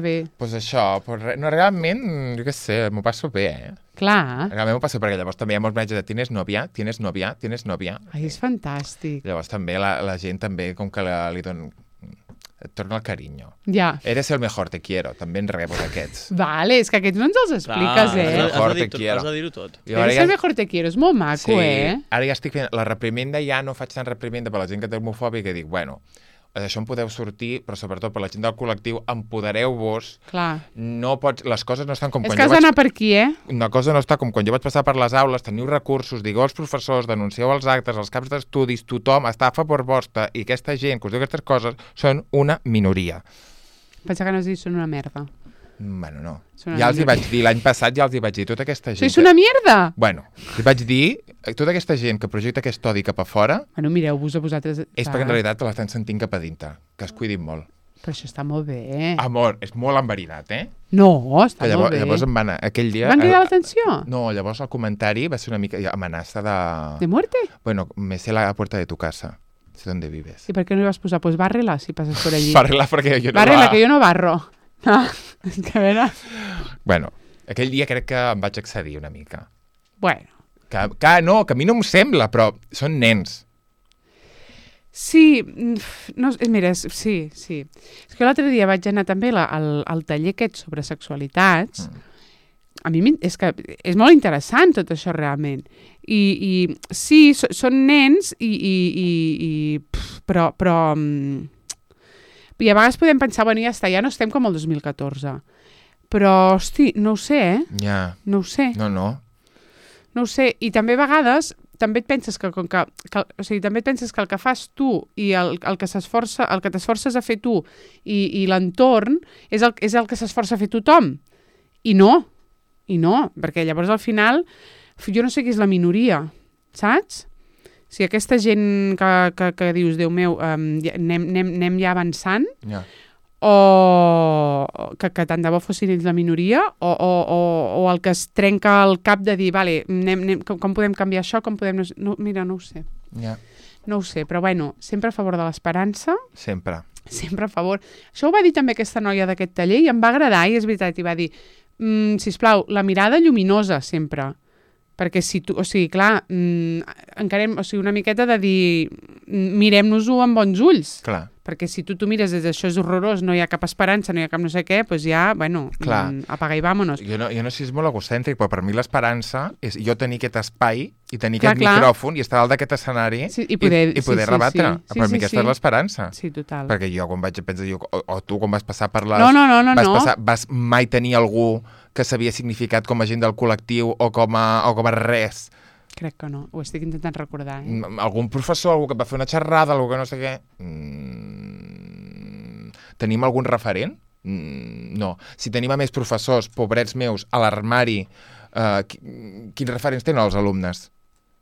bé. Pues això, no, realment, jo què sé, m'ho passo bé, Clar. Realment m'ho passo perquè llavors també hi ha molts missatges de tienes novia. Ai, és fantàstic. Llavors també la gent també com que li dona... Et torna el carinyo. Ja. Eres el mejor, te quiero. També en rebo d'aquests. Vale, és que aquests no ens els expliques, Has de dir-ho tot. Eres el mejor, te quiero. És molt maco, Ara ja estic fent... La reprimenda ja no faig tant reprimenda per la gent que té homofòbia que dic, bueno, això en podeu sortir, però sobretot per la gent del col·lectiu, empodereu-vos. Clar. No pots... Les coses no estan com quan jo vaig... És que has d'anar per aquí, Una cosa no està com quan jo vaig passar per les aules, teniu recursos, digueu als professors, denuncieu els actes, els caps d'estudis, tothom està a favor vostre, i aquesta gent que us diu aquestes coses són una minoria. Pensa que no has dit són una merda. Bueno, no. Ja els hi vaig dir, l'any passat ja els hi vaig dir, tota aquesta gent... Sois una mierda! Bueno, li vaig dir, tota aquesta gent que projecta aquest odi cap a fora... Bueno, mireu-vos a vosaltres... És perquè en realitat l'estan sentint cap a dintre, que es cuidin molt. Però això està molt bé. Amor, és molt enverinat, No, està molt bé. Llavors em van... Aquell dia... Van cridar l'atenció? No, llavors el comentari va ser una mica amenaça de... ¿De muerte? Bueno, me sé la puerta de tu casa. Sé dónde vives. ¿Y por qué no ibas a posar? Pues bárrela si pasas por allí. Bárrela perquè jo no... Bárrela, que jo no barro. No, és que a veure... Bueno, aquell dia crec que em vaig excedir una mica. Bueno. Que a mi no m'ho sembla, però són nens. Sí, no, mira, sí. És que l'altre dia vaig anar també al taller aquest sobre sexualitats. A mi és que és molt interessant tot això realment. I sí, són nens però i a vegades podem pensar, bueno, ja està, ja no estem com el 2014. Però, hosti, no ho sé, Ja. No ho sé. No. No ho sé. I també a vegades també et penses que també et penses que el que fas tu i el que t'esforces a fer tu i l'entorn és el que s'esforça a fer tothom. I no, perquè llavors al final jo no sé qui és la minoria, saps? Si aquesta gent que dius, Déu meu, anem ja avançant, o que tant de bo fossin ells la minoria, o el que es trenca el cap de dir, vale, com podem canviar això, com podem... Mira, no ho sé. No ho sé, però bueno, sempre a favor de l'esperança. Sempre a favor. Això ho va dir també aquesta noia d'aquest taller i em va agradar, i és veritat, i va dir, sisplau, la mirada lluminosa sempre. Perquè si tu, o sigui, clar, encarem, o sigui, una miqueta de dir, mirem-nos-ho amb bons ulls. Clar. Perquè si tu mires des d'això és horrorós, no hi ha cap esperança, no hi ha cap no sé què, doncs ja, bueno, apaga i vámonos. Jo no sé si és molt egocèntric, però per mi l'esperança és jo tenir aquest espai i tenir aquest micròfon i estar dalt d'aquest escenari i poder rebatre. Per mi aquesta és l'esperança. Sí, total. Perquè jo quan vaig a pensar, o tu quan vas passar per les... No. Vas mai tenir algú que s'havia significat com a gent del col·lectiu o com a res. Crec que no, ho estic intentant recordar. Algun professor, algú que va fer una xerrada, algú que no sé què... Tenim algun referent? No. Si tenim a més professors, pobrets meus, a l'armari, quins referents tenen els alumnes?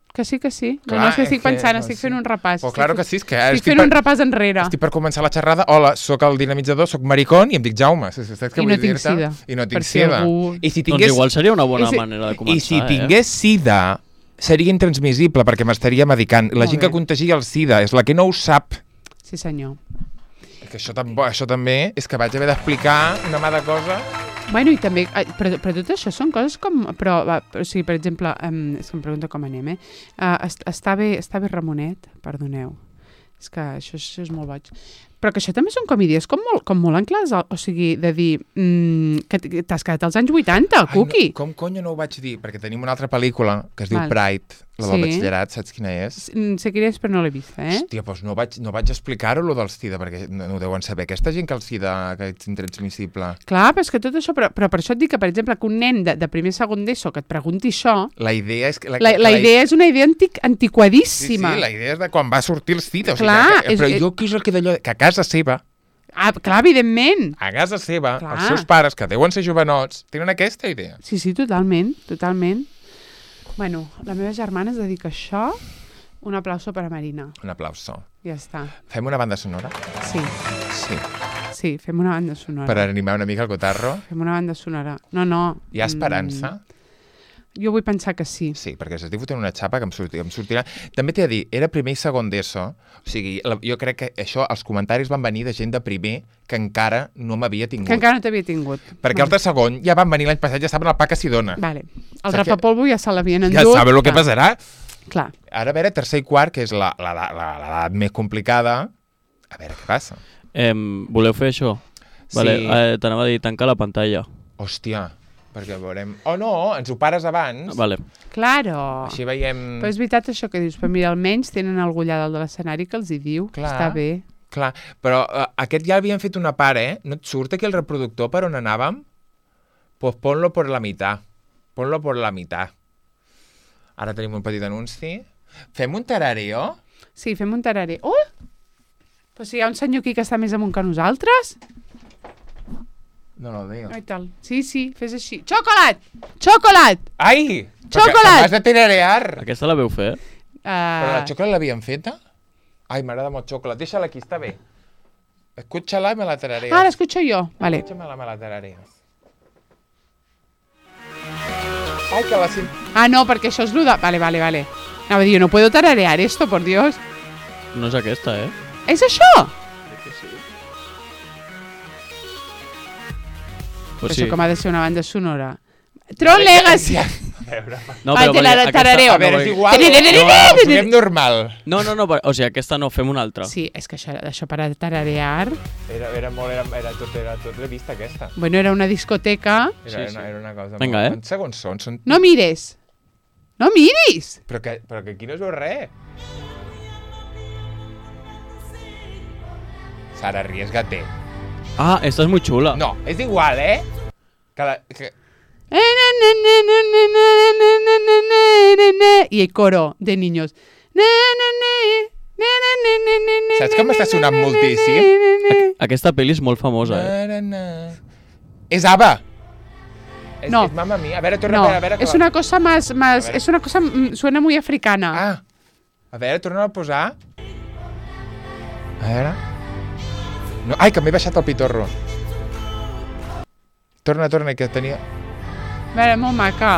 Que sí. Clar, no sé, estic pensant, estic fent un repàs. Però claro que sí, és que... Estic fent un repàs enrere. Estic per començar la xerrada. Hola, sóc el dinamitzador, sóc maricón i em dic Jaume. I no tinc sida. I no tinc sida. Doncs igual seria una bona manera de començar. I si tingués sida, seria intransmissible perquè m'estaria medicant. La gent que contagia el sida és la que no ho sap. Sí, senyor. Que això també és que vaig haver d'explicar una mà de cosa. Bueno, i també, però tot això són coses com, o sigui, per exemple, és que em pregunto com anem, està bé Ramonet, perdoneu, és que això és molt boig, però que això també són com idees com molt enclars, o sigui, de dir que t'has quedat als anys 80, Cuqui. Com conyo no ho vaig dir? Perquè tenim una altra pel·lícula que es diu Pride, la del batxillerat, saps quina és? Sé quina és, però no l'he vista, Hòstia, doncs no vaig explicar-ho, lo del SIDA, perquè no ho deuen saber. Aquesta gent que el SIDA que és intransmissible. Clar, però és que tot això, però per això et dic que, per exemple, que un nen de primer segon d'ESO que et pregunti això... La idea és... La idea és una idea antiquadíssima. Sí, la idea és de quan va sortir el SIDA. Clar, però jo què és el que d'allò... Que a casa seva... clar, evidentment. A casa seva, els seus pares, que deuen ser jovenots, tenen aquesta idea. Sí, totalment. Bueno, la meva germana es dedica a això. Un aplauso per a Marina. Un aplauso. Ja està. Fem una banda sonora? Sí, fem una banda sonora. Per animar una mica el cotarro? Fem una banda sonora. No. Hi ha esperança? Jo vull pensar que sí. Sí, perquè s'estic fotent una xapa que em sortirà... També t'he de dir, era primer i segon d'ESO, o sigui, jo crec que això, els comentaris van venir de gent de primer que encara no m'havia tingut. Que encara no t'havia tingut. Perquè els de segon ja van venir l'any passat, ja saben el pa que s'hi dona. Vale. El rapapolvo ja se l'havien endut. Ja saben el que passarà. Clar. Ara, a veure, tercer i quart, que és l'edat més complicada, a veure què passa. Voleu fer això? Sí. Vale, t'anava a dir, tancar la pantalla. Hòstia, perquè veurem... Oh, no, ens ho pares abans. Vale. Claro. Així veiem... Però és veritat això que dius, però mira, almenys tenen algú allà dalt de l'escenari que els hi diu. Clar. Està bé. Clar, però aquest ja havien fet una part, No et surt aquí el reproductor per on anàvem? Pues ponlo por la mitad. Ponlo por la mitad. Ara tenim un petit anunci. Fem un tarareo? Sí, fem un tarareo. Oh! Però si hi ha un senyor aquí que està més amunt que nosaltres... No lo veo. Ai, tal. Sí, fes així. Xocolat! Xocolat! Ai! Xocolat! M'has de tararear! Aquesta la veu fer? Però la xocolat l'havien feta? Ai, m'agrada molt xocolat. Deixa-la aquí, està bé. Escúchala y me la tarareas. Ah, la escucho yo. Vale. Escúchamela, me la tarareas. Ai, que la... Ah, no, perquè això és lo de... Vale. Anava a dir, no puedo tararear esto, por Dios. No és aquesta, És això? Crec que sí. Pues això com ha de ser una banda sonora. Tron Legacy! No, però tarareo. A veure, és igual. No, fem normal. No, o sigui, aquesta no, fem una altra. Sí, és que això per a tararear... Era tot revista aquesta. Bueno, era una discoteca. Era una cosa... Vinga, Quants segons són? No mires! No miris! Però que aquí no es veu res. Sara, arriesgate. Ah, esta es muy chula. No, es igual, Y el coro de niños. Saps com m'està sonant moltíssim? Aquesta pel·li és molt famosa, És ABBA. No. Es Mamma Mia. A veure, torna a veure. Es una cosa más... Es una cosa... Suena muy africana. Ah. A veure, torna a posar. A veure. No, ai, que m'he baixat el pitorro. Torna, que tenia... A veure, molt maca.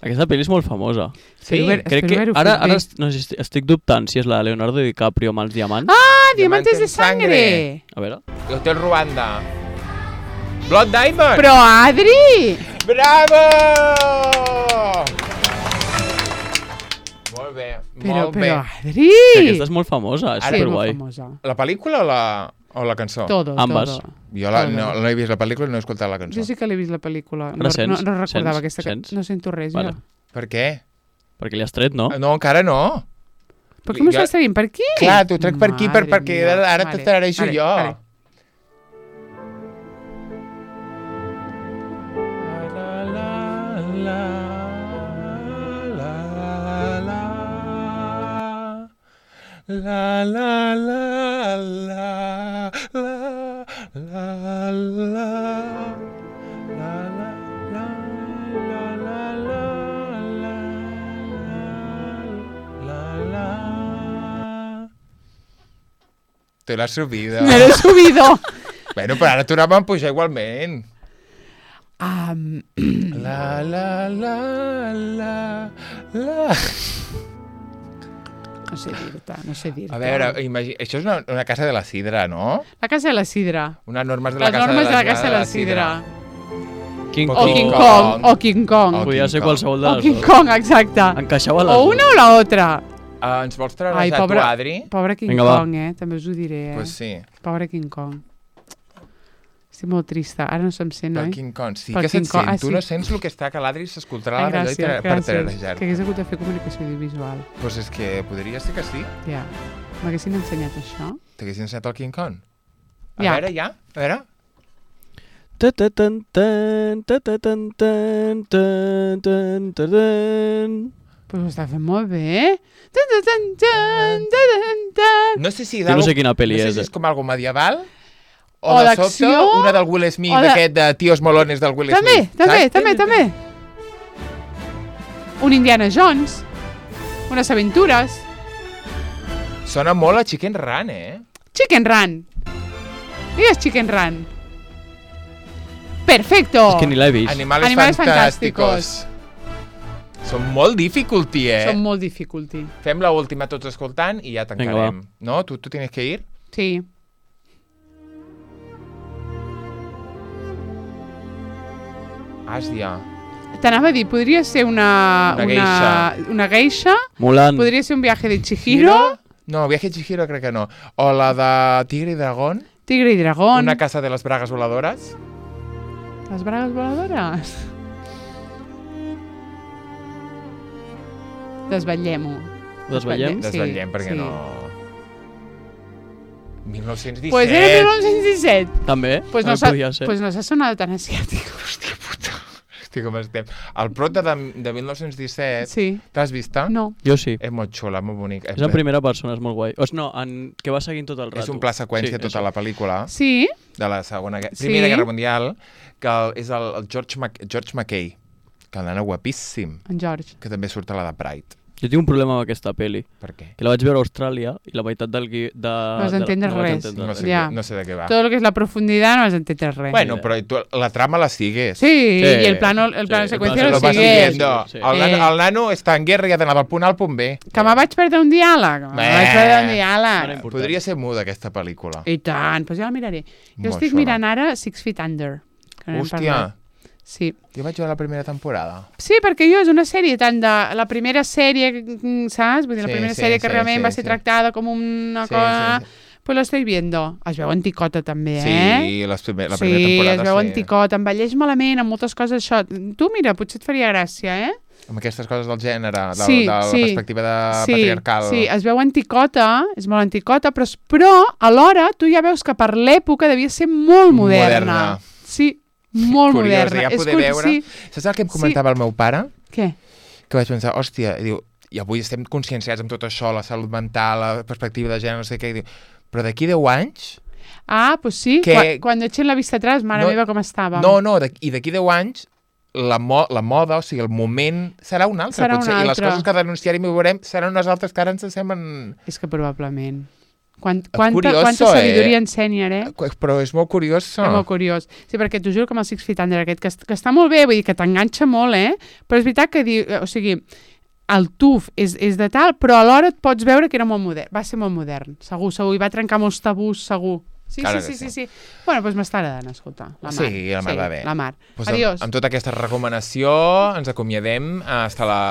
Aquesta pel·li és molt famosa. Sí, crec que ara no sé, estic dubtant si és la de Leonardo DiCaprio amb els diamants. Ah, Diamantes de Sangre! A veure. Hotel Ruanda. Blood Diamond! Però, Adri! Bravo! Molt bé, molt bé. Però, Adri! Sí, aquesta és molt famosa, és superguai. La pel·lícula o la cançó? Ambas. Jo no he vist la pel·lícula i no he escoltat la cançó. Jo sí que l'he vist la pel·lícula. No recordava aquesta cançó. No sento res, vale. Per què? Perquè li has tret, no? No, encara no. Però com estàs traient? Per aquí? Clar, t'ho trec per aquí perquè ara te tarareixo jo. La la la la la la la te l'has subido. Me l'he subido. Bueno, però ara tornem a pujar igualment. La la la la la... No sé dir-te. A veure, això és una casa de la sidra, no? La casa de la sidra. Unes normes de Les la normes de la casa de la sidra. King O King Kong. Podia ser qualsevol de O les King dues. Kong, exacte. Encaixava les O una o l'altra. Ens vols treure tu, Adri? Pobre King Vinga, Kong, també us ho diré. Pues sí. Pobre King Kong. Estic molt trista. Ara no se'm sent, oi? Per King Kong. Sí que se't sent. Tu no sents el que està, que l'Adri s'escoltarà la d'allò per tarejar. Que hagués hagut de fer comunicació audiovisual. Pues és que podria ser que sí. Ja. M'haguessin ensenyat això. T'haguessin ensenyat el King Kong? Ja. A veure, ja? A veure. Pues ho està fent molt bé. No sé si... Jo no sé quina pel·li és. No sé si és com algo medieval o de sobte una del Will Smith, aquest de Tios Molones del Will Smith. També. Un Indiana Jones. Unes aventures. Sona molt a Chicken Run, Chicken Run. Digues Chicken Run. Perfecto. És que ni l'he vist. Animales fantásticos. Són molt difficulty, Són molt difficulty. Fem la última tots escoltant i ja tancarem. No? Tu tienes que ir? Sí. Àsia. T'anava a dir, podria ser una geisha. Mulan. Podria ser un viaje de Chihiro. No, viaje de Chihiro crec que no. O la de Tigre i Dragón. Tigre i Dragón. Una casa de les bragues voladores. Les bragues voladores? Desvetllem-ho. Desvetllem? Desvetllem, perquè no... 1917. Pues era 1917. També? Pues no podia ser. Pues no s'ha sonat tan asiàtic. Hòstia puta. Hòstia, com estem. El prota de 1917, sí. T'has vist? No. Jo sí. És molt xula, molt bonic. És en primera persona, és molt guai. No, que va seguint tot el rato. És un pla seqüència tota la pel·lícula. Sí. De la Primera Guerra Mundial, que és el George McKay, que el nano guapíssim. En George. Que també surt a la de Pride. Jo tinc un problema amb aquesta pel·li. Per què? Que la vaig veure a Austràlia i la meitat del no vas entendre res. No sé de què va. Tot el que és la profunditat no vas entendre res. Bueno, però tu, la trama la sigues. Sí, i el plano de seqüència lo sigues. El nano està en guerra i ha d'anar del punt A al punt B. Que me vaig perdre un diàleg. Podria ser muda, aquesta pel·lícula. I tant, doncs ja la miraré. Jo estic mirant ara 6 Feet Under. Hòstia. Sí. Jo vaig veure la primera temporada. Sí, perquè jo és una sèrie tant de... La primera sèrie, saps? Vull dir, la primera sèrie que realment va ser tractada com una cosa... Pues lo estoy viendo. Es veu anticota també, Sí, la primera temporada, sí. Es veu anticota, envelleix malament, amb moltes coses això. Tu, mira, potser et faria gràcia, Amb aquestes coses del gènere, de la perspectiva patriarcal. Sí, es veu anticota, és molt anticota, però alhora tu ja veus que per l'època devia ser molt moderna. Sí, molt curiós, moderna. Ja poder veure. Saps el que em comentava el meu pare? Què? Que vaig pensar, hòstia, i avui estem conscienciats amb tot això, la salut mental, la perspectiva de gènere, no sé què, i diu, però d'aquí 10 anys... Ah, pues sí, quan echen la vista atrás, mare meva, com estava. No, i d'aquí 10 anys la moda, o sigui, el moment serà un altre, potser. I les coses que denunciarem i veurem seran unes altres que ara ens semblen... És que probablement. Quanta sabidoria ensenya, Però és molt curiós. És molt curiós. Sí, perquè t'ho juro que amb el Six Feet Under aquest, que està molt bé, vull dir que t'enganxa molt, però és veritat que o sigui, el tuf és de tal, però alhora et pots veure que era molt modern. Va ser molt modern, segur, i va trencar molts tabús, segur. Sí. Bueno, doncs m'està agradant, escolta. La Mar. Sí, la Mar va bé. La Mar. Pues Adiós. Amb tota aquesta recomanació ens acomiadem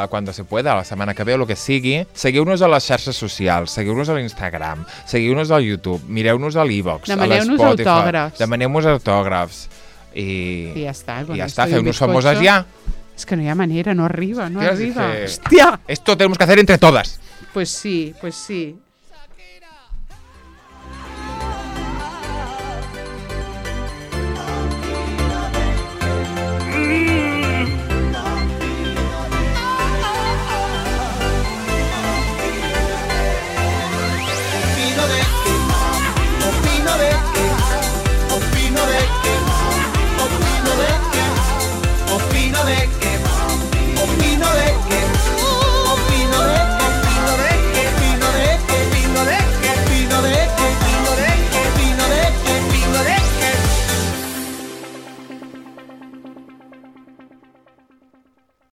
cuando se pueda, la setmana que ve o el que sigui. Seguiu-nos a les xarxes socials, seguiu-nos a l'Instagram, seguiu-nos al YouTube, mireu-nos a l'Evox, a l'Spotify. Demaneu-nos autògrafs. I ja està. I ja està, feu-nos famoses ja. És que no hi ha manera, no arriba. Hòstia! Esto tenemos que hacer entre todas. Pues sí.